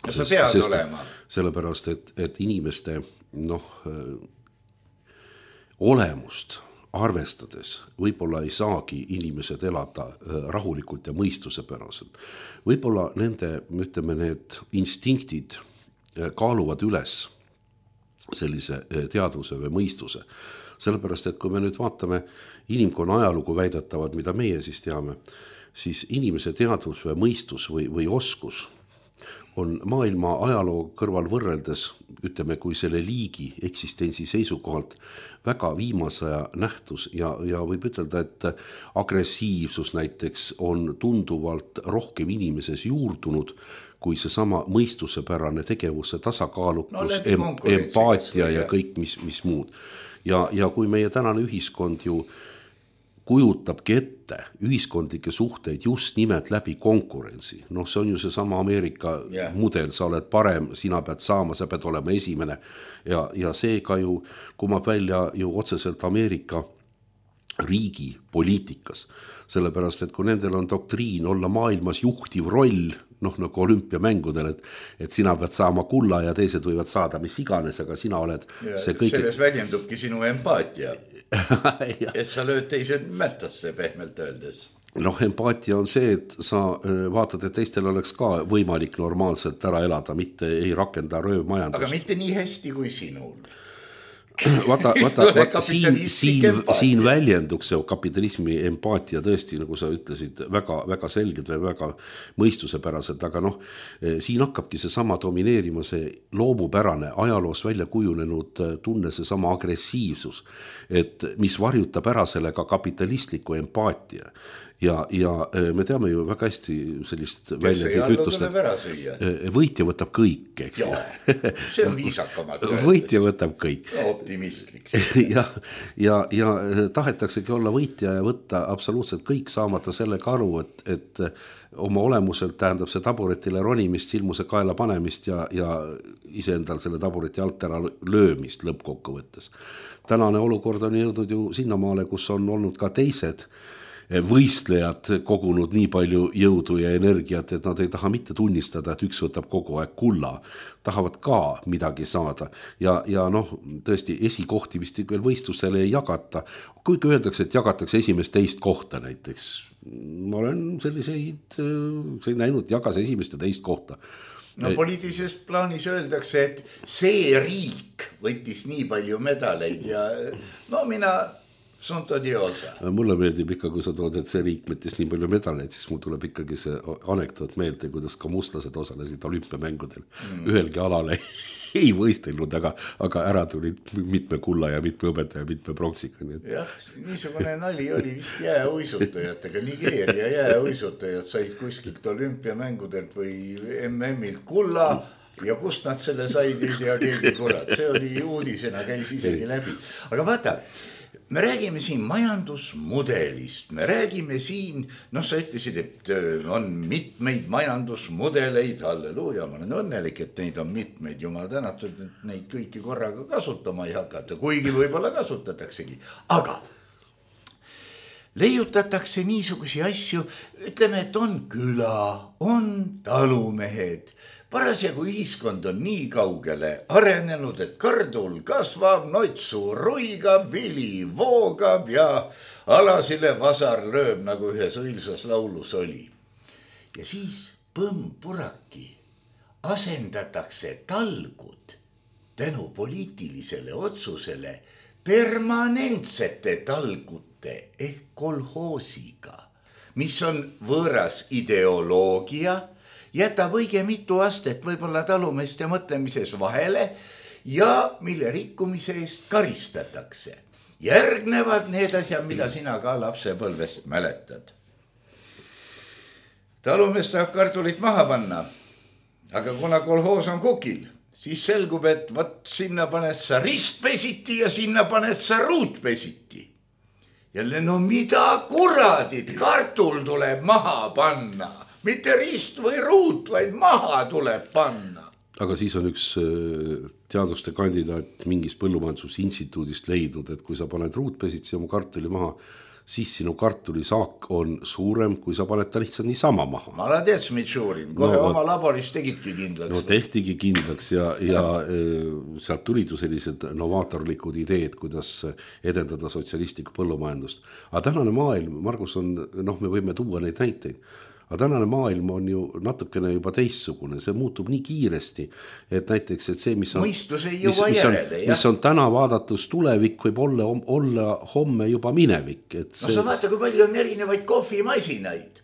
Ja sa pead sest, olema. Sellepärast, et, et inimeste noh, olemust arvestades võib-olla ei saagi inimesed elada rahulikult ja mõistuse päraselt. Võib-olla nende, ütleme, need instinktid kaaluvad üles sellise teadvuse või mõistuse. Sellepärast, et kui me nüüd vaatame inimkonna ajalugu väidetavad, mida meie siis teame, siis inimese teadvus või mõistus või, või oskus on maailma ajaloo kõrval võrreldes, ütleme, kui selle liigi eksistentsi seisukohalt väga viimasaja nähtus ja, ja võib ütelda, et agressiivsus näiteks on tunduvalt rohkem inimeses juurdunud, kui see sama mõistusepärane tegevuse tasakaalukus, no, em, empaatia ja kõik, mis, mis muud. Ja, ja kui meie tänane ühiskond ju kujutabki ette ühiskondlikke suhteid just nimelt läbi konkurentsi. Noh, see on ju see sama Ameerika yeah. mudel, sa oled parem, sina pead saama, sa pead olema esimene. Ja, ja see ka ju kumab välja ju otseselt Ameerika riigi poliitikas. Sellepärast, et kui nendel on doktriin olla maailmas juhtiv roll, noh nagu olümpiamängudel, et, et sina pead saama kulla ja teised võivad saada mis iganes, aga sina oled ja, see kõik... Selles väljendubki sinu empaatia. Et sa lööd teised mättasse pehmelt öeldes. Noh, empaatia on see, et sa vaatad, et teistel oleks ka võimalik normaalselt ära elada, mitte ei rakenda röövmajandust. Aga mitte nii hästi kui sinul. Vaata, vaata, vaata siin, siin, siin väljenduks see kapitalismi empaatia tõesti, nagu sa ütlesid, väga, väga selgelt või väga mõistusepäraselt, aga noh, siin hakkabki see sama domineerima, see loomupärane ajaloos välja kujunenud tunne, see sama agressiivsus, et mis varjutab ära selle ka kapitalistliku empaatia. Ja, ja me teame ju väga hästi sellist väljendit ütlust, et võitja võtab kõik, eks. Ja, see on viisakamalt. Võitja võtab kõik. Optimistlik. ja, ja, ja tahetaksegi olla võitja ja võtta absoluutselt kõik, saamata sellega aru, et, et oma olemuselt tähendab see taburetile ronimist, silmuse kaela panemist ja, ja iseendal selle tabureti alt ära löömist lõppkokkuvõttes. Tänane olukord on jõudnud ju sinnamaale, kus on olnud ka teised võistlejad kogunud nii palju jõudu ja energiat, et nad ei taha mitte tunnistada, et üks võtab kogu aeg kulla. Tahavad ka midagi saada. Ja, ja noh, tõesti esikohti vist veel võistlusele ei jagata. Kuigi öeldakse, et jagatakse esimest teist kohta näiteks. Ma olen selliseid see näinud, jagas esimest ja teist kohta. No poliitilises plaanis öeldakse, et see riik võttis nii palju medaleid ja no mina Sunto diosa. Mulle meeldib ikka, kui sa tood, et see riik võttis nii palju medaleid, siis mul tuleb ikkagi see anekdoot meelde, kuidas ka mustlased osalesid olümpiamängudel. Mm. Ühelgi alale ei võistelnud, aga, aga ära tulid mitme kulla ja mitme õbeta ja mitme pronksiga. Nii et... Jah, niisugune nali oli vist jääuisutajatega. Nigeeria jääuisutajad said kuskilt olümpiamängudelt või M M-ilt kulla ja kust nad selle said, ei tea keegi kurat. See oli uudisena, käis isegi läbi. Aga vaata, me räägime siin majandusmudelist, me räägime siin, noh sa ütlesid, et on mitmeid majandusmudeleid, halleluuja, ma olen õnnelik, et neid on mitmeid, jumal tänatud, et neid kõiki korraga kasutama ei hakata, kuigi võib-olla kasutataksegi, aga leiutatakse niisugusi asju, ütleme, et on küla, on talumehed, parasjagu ühiskond on nii kaugele arenenud, et kardul kasvab, notsu ruigab, vili voogab ja alasile vasar lööb, nagu ühes õilsas laulus oli. Ja siis põmm-puraki asendatakse talgud tänu poliitilisele otsusele permanentsete talgute ehk kolhoosiga, mis on võõras ideoloogia, jätab õige mitu astet võib-olla talumeeste mõtlemises vahele ja mille rikkumise eest karistatakse. Järgnevad need asjad, mida sina ka lapsepõlvest mäletad. Talumees tahab kartulit maha panna, aga kuna kolhoos on kukil, siis selgub, et võt sinna paned sa ristpesiti ja sinna paned sa ruutpesiti. Jälle, no mida kuradid, kartul tuleb maha panna. Mitte rist või ruut, vaid maha tuleb panna. Aga siis on üks teaduste kandidaat mingist põllumajandusinstituudist leidnud, et kui sa paned ruutpesitsi oma kartuli maha, siis sinu kartulisaak on suurem, kui sa paned ta lihtsalt niisama maha. Ma olen tead, Smitšuurin, kohe no, oma laboris tegidki kindlaks. No tehtigi kindlaks ja, ja sealt tulid ju sellised novaatorlikud ideed, kuidas edendada sotsialistlikku põllumajandust. Aga tänane maailm, Margus, on, noh, me võime tuua neid näiteid. Aga tänane maailm on ju natukene juba teissugune, see muutub nii kiiresti, et näiteks, et see, mis on, mis, mis, järele, on, mis on täna vaadatus tulevik, võib olla, olla homme juba minevik. Et see... No sa vaata, kui palju on erinevaid kohvimasinaid.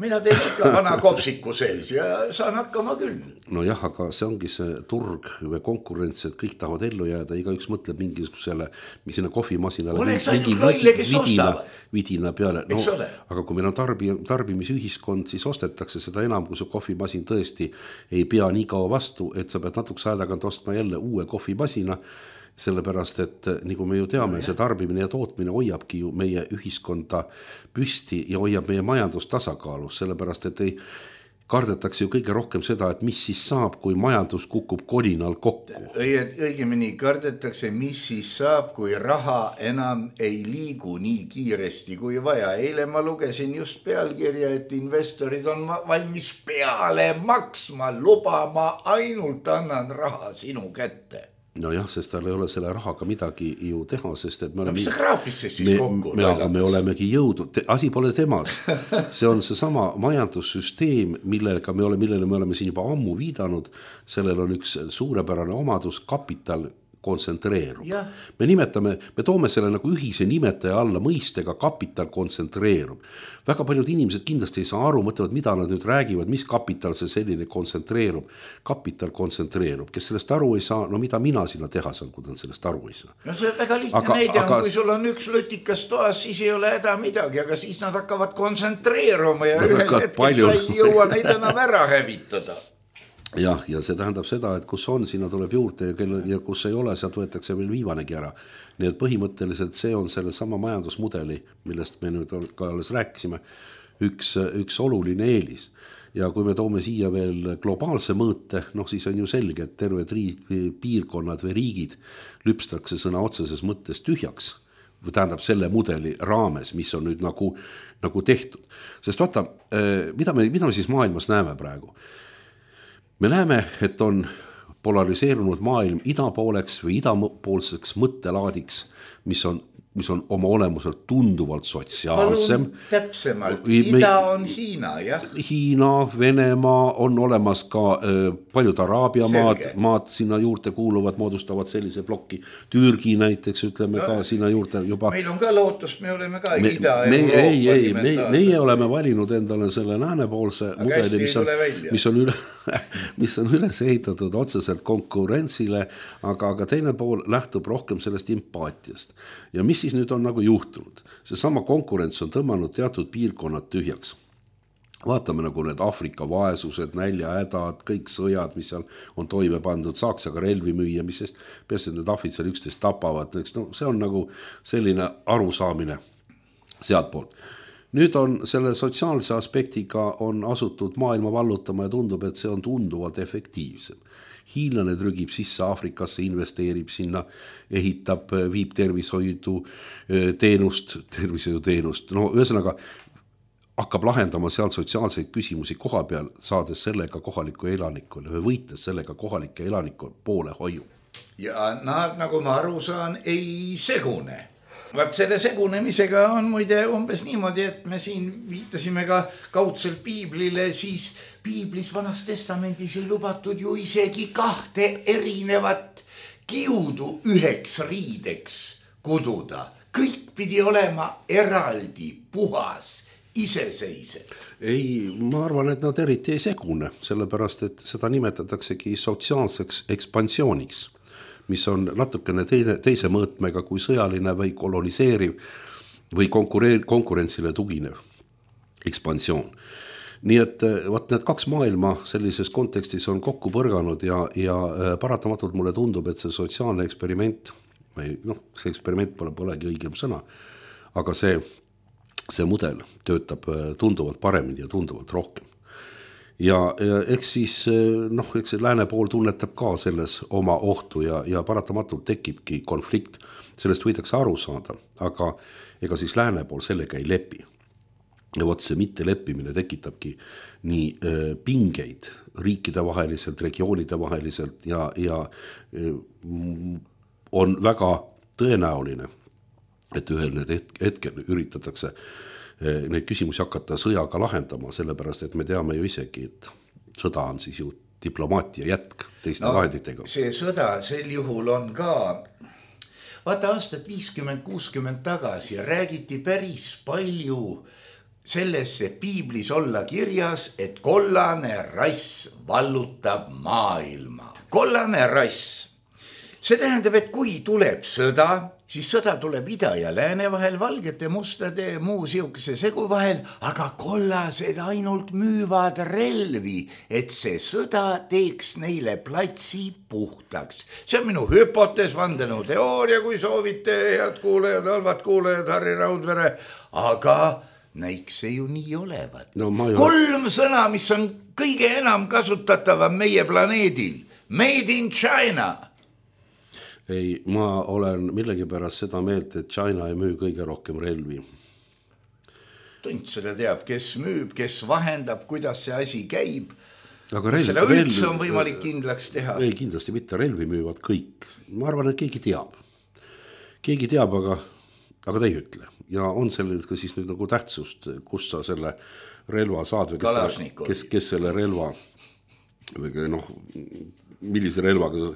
Mina teen ikka vana kopsiku sees ja saan hakkama küll. No jah, aga see ongi see turg või konkurents, et kõik tahavad ellu jääda, iga üks mõtleb mingisugusele, mis sinna kohvimasinale oleks ainult lolle, kes vidina, ostavad. Vidina peale. No, aga kui meil on tarbi, tarbimisühiskond, siis ostetakse seda enam, kui su kohvimasin tõesti ei pea nii kaua vastu, et sa pead natuks aedagant ostma jälle uue kohvimasina, sellepärast, et nagu me ju teame, see tarbimine ja tootmine hoiabki ju meie ühiskonda püsti ja hoiab meie majandust tasakaalus, sellepärast, et ei kardetakse ju kõige rohkem seda, et mis siis saab, kui majandus kukub kolinal kokku. Õigemini kardetakse, mis siis saab, kui raha enam ei liigu nii kiiresti kui vaja. Eile ma lugesin just pealkirja, et investorid on valmis peale maksma, lubama, ainult annan raha sinu kätte. No jah, sest tal ei ole selle rahaga midagi ju teha, sest et me oleme... No, mis sa kraapis siis siis kokku? Me, me, me olemegi jõudnud, asi pole temas. See on see sama majandussüsteem, millega me oleme, millele me oleme siin juba ammu viidanud. Sellel on üks suurepärane omadus, kapital kontsentreerub. Ja. Me nimetame, me toome selle nagu ühise nimetaja alla mõistega kapital kontsentreerub. Väga paljud inimesed kindlasti ei saa aru, mõtlevad, mida nad nüüd räägivad, mis kapital see selline kontsentreerub. Kapital kontsentreerub. Kes sellest aru ei saa, no mida mina sinna teha saan, kui ta sellest aru ei saa. No see väga lihtne aga, näide on, aga... kui sul on üks lutikas toas, siis ei ole häda midagi, aga siis nad hakkavad kontsentreeruma ja ühel hetkel palju... sa ei jõua neid enam ära hävitada. Jah, ja see tähendab seda, et kus on, sinna tuleb juurde ja, kelle, ja kus ei ole, sealt võetakse veel viivanegi ära. Nii et põhimõtteliselt see on selle sama majandusmudeli, millest me nüüd ka alles rääkisime, üks, üks oluline eelis. Ja kui me toome siia veel globaalse mõõte, noh siis on ju selge, et terved riik, piirkonnad või riigid lüpstakse sõna otseses mõttes tühjaks. Või tähendab selle mudeli raames, mis on nüüd nagu, nagu tehtud. Sest vaata, mida me, mida me siis maailmas näeme praegu? Me näeme, et on polariseerunud maailm idapooleks või idapoolseks mõttelaadiks, mis on mis on oma olemuselt tunduvalt sotsiaalsem. Täpsemalt, ida on Hiina, jah. Hiina, Venemaa, on olemas ka äh, paljud Araabia maad, maad sinna juurde kuuluvad, moodustavad sellise plokki. Türgi näiteks, ütleme no, ka sinna juurde juba. Meil on ka lootust, me oleme ka me, Ida-Euroopa. Ei, ei, me, meie oleme valinud endale selle läänepoolse aga mudeli, mis on, mis, on üle, mis on üles ehitatud otseselt konkurentsile, aga, aga teine pool lähtub rohkem sellest empaatiast. Ja mis siis nüüd on nagu juhtunud? See sama konkurents on tõmmanud teatud piirkonnad tühjaks. Vaatame nagu need Afrika vaesused, näljahädad, kõik sõjad, mis seal on toime pandud, saaks aga relvi müüa, mis sest peast, et need ahvid seal üksteist tapavad. No, see on nagu selline arusaamine sealt poolt. Nüüd on selle sotsiaalse aspektiga on asutud maailma vallutama ja tundub, et see on tunduvalt efektiivsem. Hiinlane trügib sisse Afrikasse, investeerib sinna, ehitab, viib tervishoidu teenust, tervishoidu teenust. No ühesõnaga hakkab lahendama seal sotsiaalseid küsimusi koha peal, saades sellega kohaliku elanikule või võites sellega kohalike elanikul poole hoiu. Ja nad, nagu ma aru saan, ei segune. Vaat selle segunemisega on muide umbes niimoodi, et me siin viitasime ka kaudselt piiblile, siis piiblis Vanas testamendis ei lubatud ju isegi kahte erinevat kiudu üheks riideks kududa. Kõik pidi olema eraldi, puhas, iseseisev. Ei, ma arvan, et nad eriti ei segune, sellepärast, et seda nimetataksegi sotsiaalseks ekspansiooniks, mis on natukene teine, teise mõõtmega kui sõjaline või koloniseeriv või konkurentsile tuginev ekspansioon. Nii et vaat need kaks maailma sellises kontekstis on kokku põrganud ja, ja paratamatult mulle tundub, et see sotsiaalne eksperiment, või noh, see eksperiment pole polegi õigem sõna, aga see, see mudel töötab tunduvalt paremini ja tunduvalt rohkem. Ja, ja eks siis noh, eks see lääne pool tunnetab ka selles oma ohtu ja, ja paratamatult tekibki konflikt, sellest võidakse aru saada, aga ega siis lääne pool sellega ei lepi. Ja võt see mitte leppimine tekitabki nii äh, pingeid riikide vaheliselt, regioonide vaheliselt ja, ja äh, on väga tõenäoline, et ühel need hetkel üritatakse äh, neid küsimusi hakata sõjaga lahendama, sellepärast et me teame ju isegi, et sõda on siis ju diplomaatia jätk teiste no, vahenditega. See sõda sel juhul on ka, vaata aastat viiskümmend kuuskümmend tagasi räägiti päris palju sellesse piiblis olla kirjas, et kollane rass vallutab maailma. Kollane rass. See tähendab, et kui tuleb sõda, siis sõda tuleb ida ja lääne vahel, valgete, mustade, muu siukese segu vahel, aga kollased ainult müüvad relvi, et see sõda teeks neile platsi puhtaks. See on minu hüpotees, vandenõu teooria, kui soovite, head kuulajad, halvad kuulajad, Harri Raudvere, aga näiks see ju nii olevat. No, ju... Kolm sõna, mis on kõige enam kasutatav meie planeedil. Made in China. Ei, ma olen millegipärast seda meelt, et China ei müü kõige rohkem relvi. Tunt seda teab, kes müüb, kes vahendab, kuidas see asi käib. Aga relv, seda üldse on võimalik kindlaks teha. Ei, kindlasti mitte, relvi müüvad kõik. Ma arvan, et keegi teab. Keegi teab, aga, aga ta ei ütle. Ja on sellel ka siis nüüd nagu tähtsust, kus sa selle relva saad või kes, kes, kes selle relva või noh, millise relvaga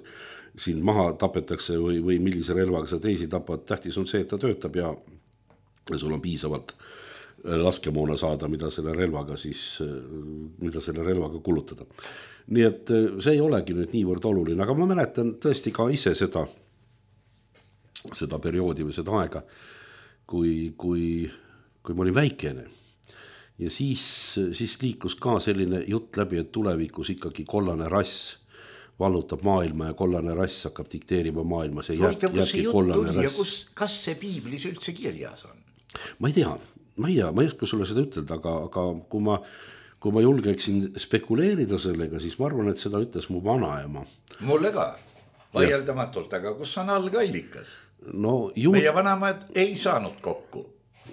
siin maha tapetakse või, või millise relvaga sa teisi tapad. Tähtis on see, et ta töötab ja sul on piisavalt laskemoona saada, mida selle relvaga siis, mida selle relvaga kulutada. Nii et see ei olegi nüüd niivõrd oluline, aga ma mäletan tõesti ka ise seda, seda perioodi või seda aega, Kui, kui, kui ma olin väikene ja siis, siis liikus ka selline jutt läbi, et tulevikus ikkagi kollane rass vallutab maailma ja kollane rass hakkab dikteerima maailma. See Hoita, kus see jutt tuli ja kus, kas see piiblis üldse kirjas on? Ma ei tea, ma ei tea, ma ei oska sulle seda ütelda, aga, aga kui, ma, kui ma julgeksin spekuleerida sellega, siis ma arvan, et seda ütles mu vanaema. Mulle ka, vaieldamatult, aga kus on algallikas? No, juud... Meie vanamad ei saanud kokku.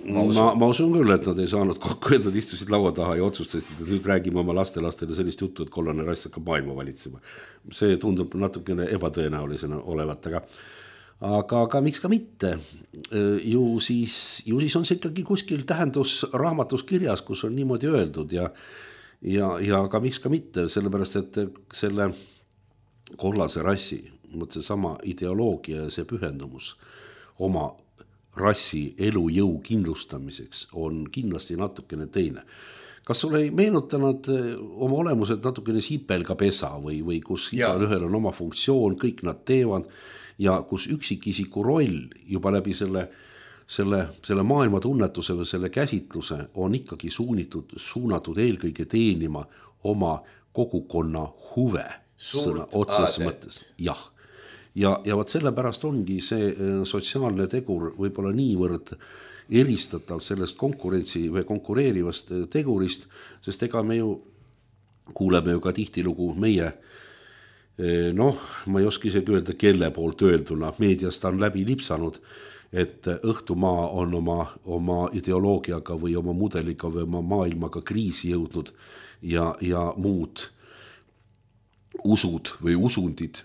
Ma usun. Ma, ma usun küll, et nad ei saanud kokku, et nad istusid laua taha ja otsustasid, et nüüd räägime oma lastelastele sellist juttu, et kollane rass hakkab maailma valitsema. See tundub natukene ebatõenäolisena olevat, aga, aga, aga miks ka mitte, ju siis, ju siis on see ikkagi kuskil tähendusraamatus kirjas, kus on niimoodi öeldud ja, ja, ja ka miks ka mitte, sellepärast et selle kollase rassi, mõt see sama ideoloogia ja see pühendumus oma rassi elujõu kindlustamiseks on kindlasti natukene teine. Kas sulle ei meenutanud oma olemuselt natukene sipelgapesa või, või kus igal ühel on oma funktsioon, kõik nad teevad ja kus üksikisiku roll juba läbi selle, selle, selle maailma tunnetuse või selle käsitluse on ikkagi suunitud, suunatud eelkõige teenima oma kogukonna huve. Sõna otseses mõttes. Jah. Ja, ja võt sellepärast ongi see sotsiaalne tegur võib-olla niivõrd eristatav sellest konkurentsi või konkureerivast tegurist, sest ega me ju kuuleme ju ka tihtilugu meie, noh, ma ei oska isegi öelda, kelle poolt öelduna, meediast on läbi lipsanud, et Õhtumaa on oma, oma ideoloogiaga või oma mudeliga või oma maailmaga kriisi jõudnud ja, ja muud usud või usundid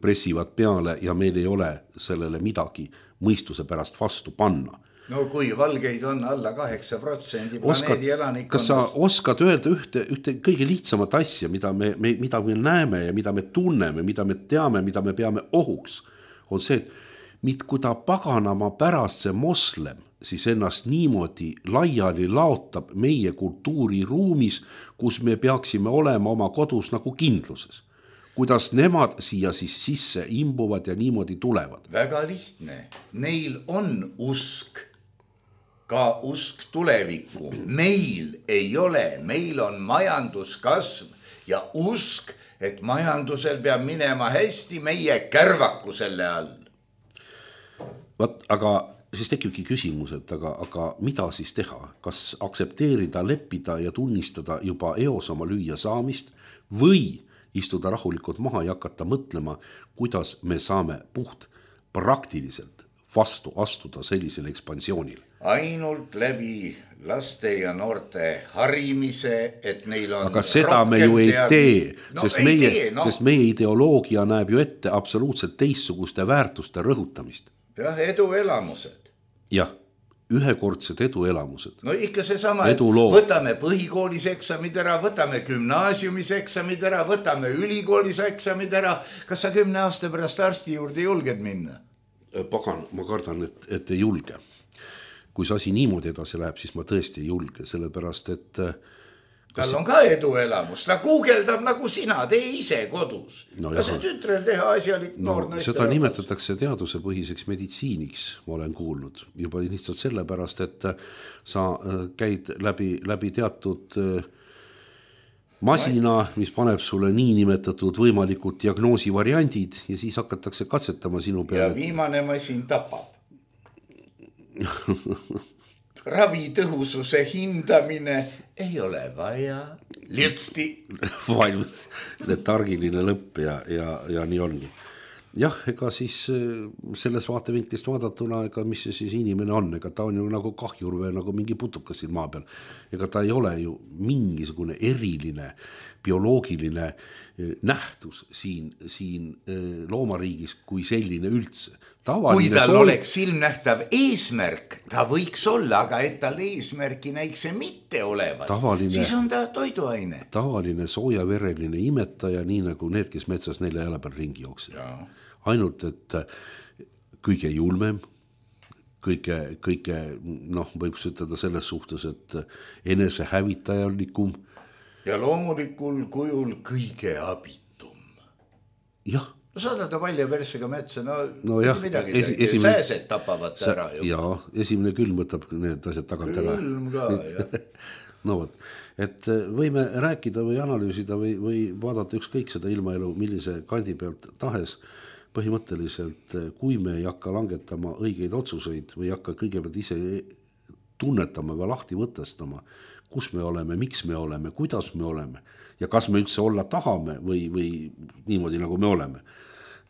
pressivad peale ja meil ei ole sellele midagi mõistuse pärast vastu panna. No kui valgeid on alla kaheksa protsendi planeedi elanikkonnast. Kas sa oskad öelda ühte, ühte kõige lihtsamat asja, mida me, me, mida me näeme ja mida me tunneme, mida me teame, mida me peame ohuks, on see, et kui ta paganama pärast see moslem, siis ennast niimoodi laiali laotab meie kultuuriruumis, kus me peaksime olema oma kodus nagu kindluses. Kuidas nemad siia siis sisse imbuvad ja niimoodi tulevad? Väga lihtne. Neil on usk, ka usk tulevikku. Meil ei ole, meil on majanduskasv ja usk, et majandusel peab minema hästi meie kärvaku selle all. Vat, aga siis tekibki küsimus, et aga, aga mida siis teha? Kas aksepteerida, leppida ja tunnistada juba eos oma lüüa saamist või istuda rahulikult maha ja hakata mõtlema, kuidas me saame puht praktiliselt vastu astuda sellisele ekspansioonile? Ainult läbi laste ja noorte harimise, et neil on aga seda me ju ei tee, no, sest, ei meie, tee no. sest meie ideoloogia näeb ju ette absoluutselt teistsuguste väärtuste rõhutamist. Jah, eduelamused. Jah, ühekordsed eduelamused. No ikka see sama, et võtame põhikoolis eksamid ära, võtame gümnaasiumis eksamid ära, võtame ülikoolis eksamid ära. Kas sa kümne aasta pärast arsti juurde julged minna? Pagan, ma kardan, et, et ei julge. Kui see asi niimoodi edasi läheb, siis ma tõesti ei julge, sellepärast, et tal on ka eduelamus, ta guugeldab nagu sina, tee ise kodus. No ja see tütrel teha asjalik no, noor naiste seda rahvas. Nimetatakse teadusepõhiseks meditsiiniks, ma olen kuulnud. Juba lihtsalt sellepärast, et sa käid läbi, läbi teatud masina, mis paneb sulle nii nimetatud võimalikud diagnoosivariandid ja siis hakatakse katsetama sinu peale. Ja viimane masin tapab. Ravitõhususe hindamine ei ole vaja. Lirtsti. Valmis letargiline lõpp ja, ja, ja nii ongi. Jah, ega siis selles vaatevinklist vaadatuna, ega mis see siis inimene on, ega ta on ju nagu kahjur või nagu mingi putukas siin maa peal. Ega ta ei ole ju mingisugune eriline bioloogiline nähtus siin, siin loomariigis kui selline üldse. Tavaline kui tal sool... oleks silmnähtav eesmärk, ta võiks olla, aga et tal eesmärki näiks see mitte olevat, tavaline, siis on ta toiduaine. Tavaline soojavereline imetaja, nii nagu need, kes metsas nelja jala peal ringi jooksid. Ainult, et kõige julmem, kõige, kõige noh, võib ütelda selles suhtes, et enese hävitajalikum. Ja loomulikul kujul kõige abitum. Jah. No saada ta palja persega metsa, no, no jah, midagi esi, esimene, sääsed tapavad sa, ära. Ju. Jaa, esimene külm võtab need asjad tagant ära. Külm ka, jah. No võt, et võime rääkida või analüüsida või, või vaadata ükskõik seda ilmaelu, millise kandi pealt tahes. Põhimõtteliselt, kui me ei hakka langetama õigeid otsuseid või hakka kõigepealt ise tunnetama või lahti võtestama, kus me oleme, miks me oleme, kuidas me oleme ja kas me üldse olla tahame või, või niimoodi nagu me oleme.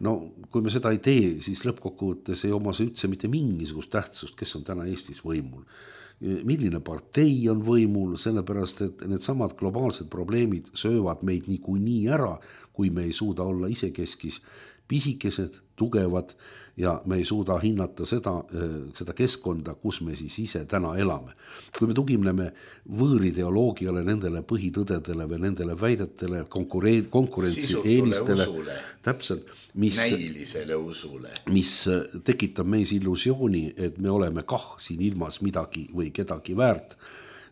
No kui me seda ei tee, siis lõppkokkuvõttes ei oma see üldse mitte mingisugust tähtsust, kes on täna Eestis võimul. Milline partei on võimul, sellepärast, et need samad globaalsed probleemid söövad meid niikuinii ära, kui me ei suuda olla isekeskis pisikesed, tugevad ja me ei suuda hinnata seda, seda keskkonda, kus me siis ise täna elame. Kui me tugineme võõrideoloogiale, nendele põhitõdedele või nendele väidetele, konkurentsi eelistele, täpselt, mis, näilisele usule, mis tekitab meis illusiooni, et me oleme kah siin ilmas midagi või kedagi väärt,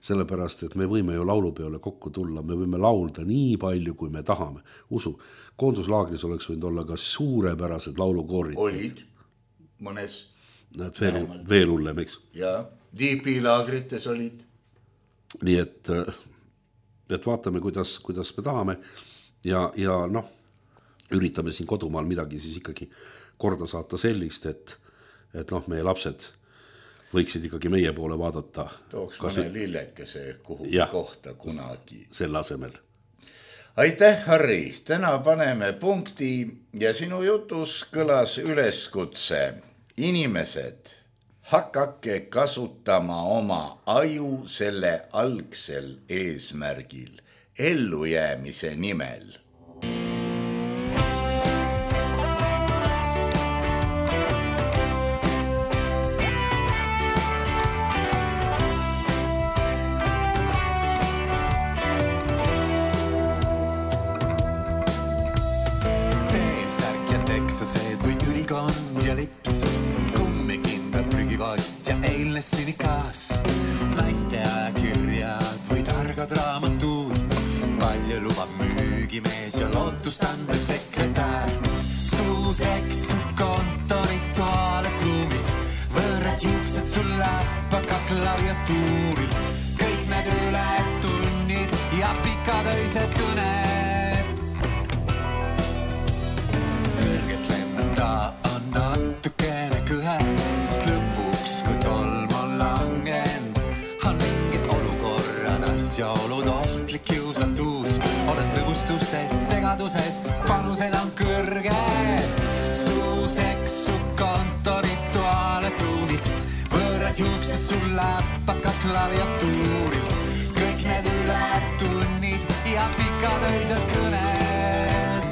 sellepärast, et me võime ju laulupeole kokku tulla, me võime laulda nii palju, kui me tahame. Usu, koonduslaagris oleks võinud olla ka suurepärased laulukoorid. Olid mõnes. Näed, veel, veel hullem, eks? Ja, diipilaagrites olid. Nii et, et vaatame, kuidas, kuidas me tahame ja, ja noh, üritame siin kodumaal midagi siis ikkagi korda saata sellist, et, et noh, meie lapsed võiksid ikkagi meie poole vaadata. Tooks mõne lillekese kuhu ja, kohta kunagi. Selle asemel. Aitäh, Harri. Täna paneme punkti ja sinu jutus kõlas üleskutse. Inimesed, hakake kasutama oma aju selle algsel eesmärgil, ellujäämise nimel. Sinikas, naiste ajakirjad või targad raamatud, palju lubab müügimees ja lootustandev sekretär. Suuseks su kontorituaalet ruumis, võõrad juuksed sul läpaka klaviatuuril, kõik need ületunnid ja pikatöised kõned. Kõrget lennata on natukene kõhe, sest lõpuks kui tolm on langend, on mingid olukorrad, asjaolud, ohtlik kiusatus, oled lõbustustes, segaduses, panused on kõrged. Suuseks su kontorituaalet ruumis, võõrad juuksed sul läpaka klaviatuuril, kõik need ületunnid ja pikatöised kõned.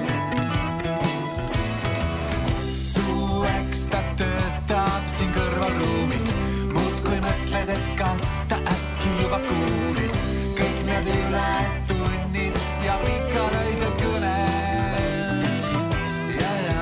Su ekstra töötab siin kõrvalruumis, muud kui mõtled, et kas ta äkki juba kuulis, kõik need ületunnid ja pikatöised kõned. Ja, ja.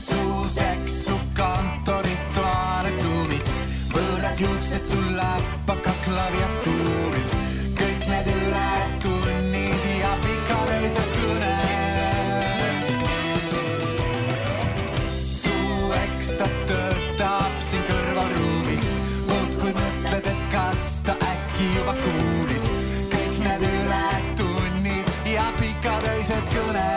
Suuseks su kontorituaalet ruumis, võõrad juuksed sul läpaka klaviatuuril, kõik need ületunnid ja pikatöised kõned. Su ekstra töötab siin kõrvalruumis, muud kui mõtled, et kas ta äkki juba kuulis, kõik need ületunnid ja pikatöised kõned.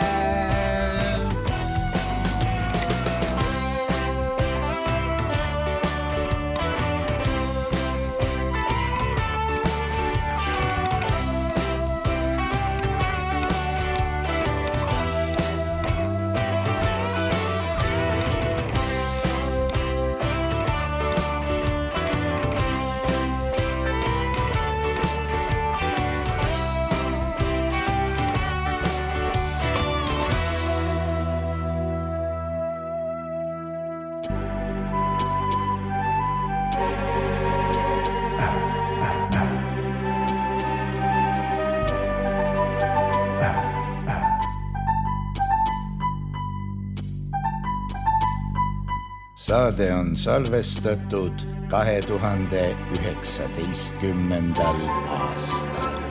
Saade on salvestatud kahe tuhande üheksateistkümnendal aastal.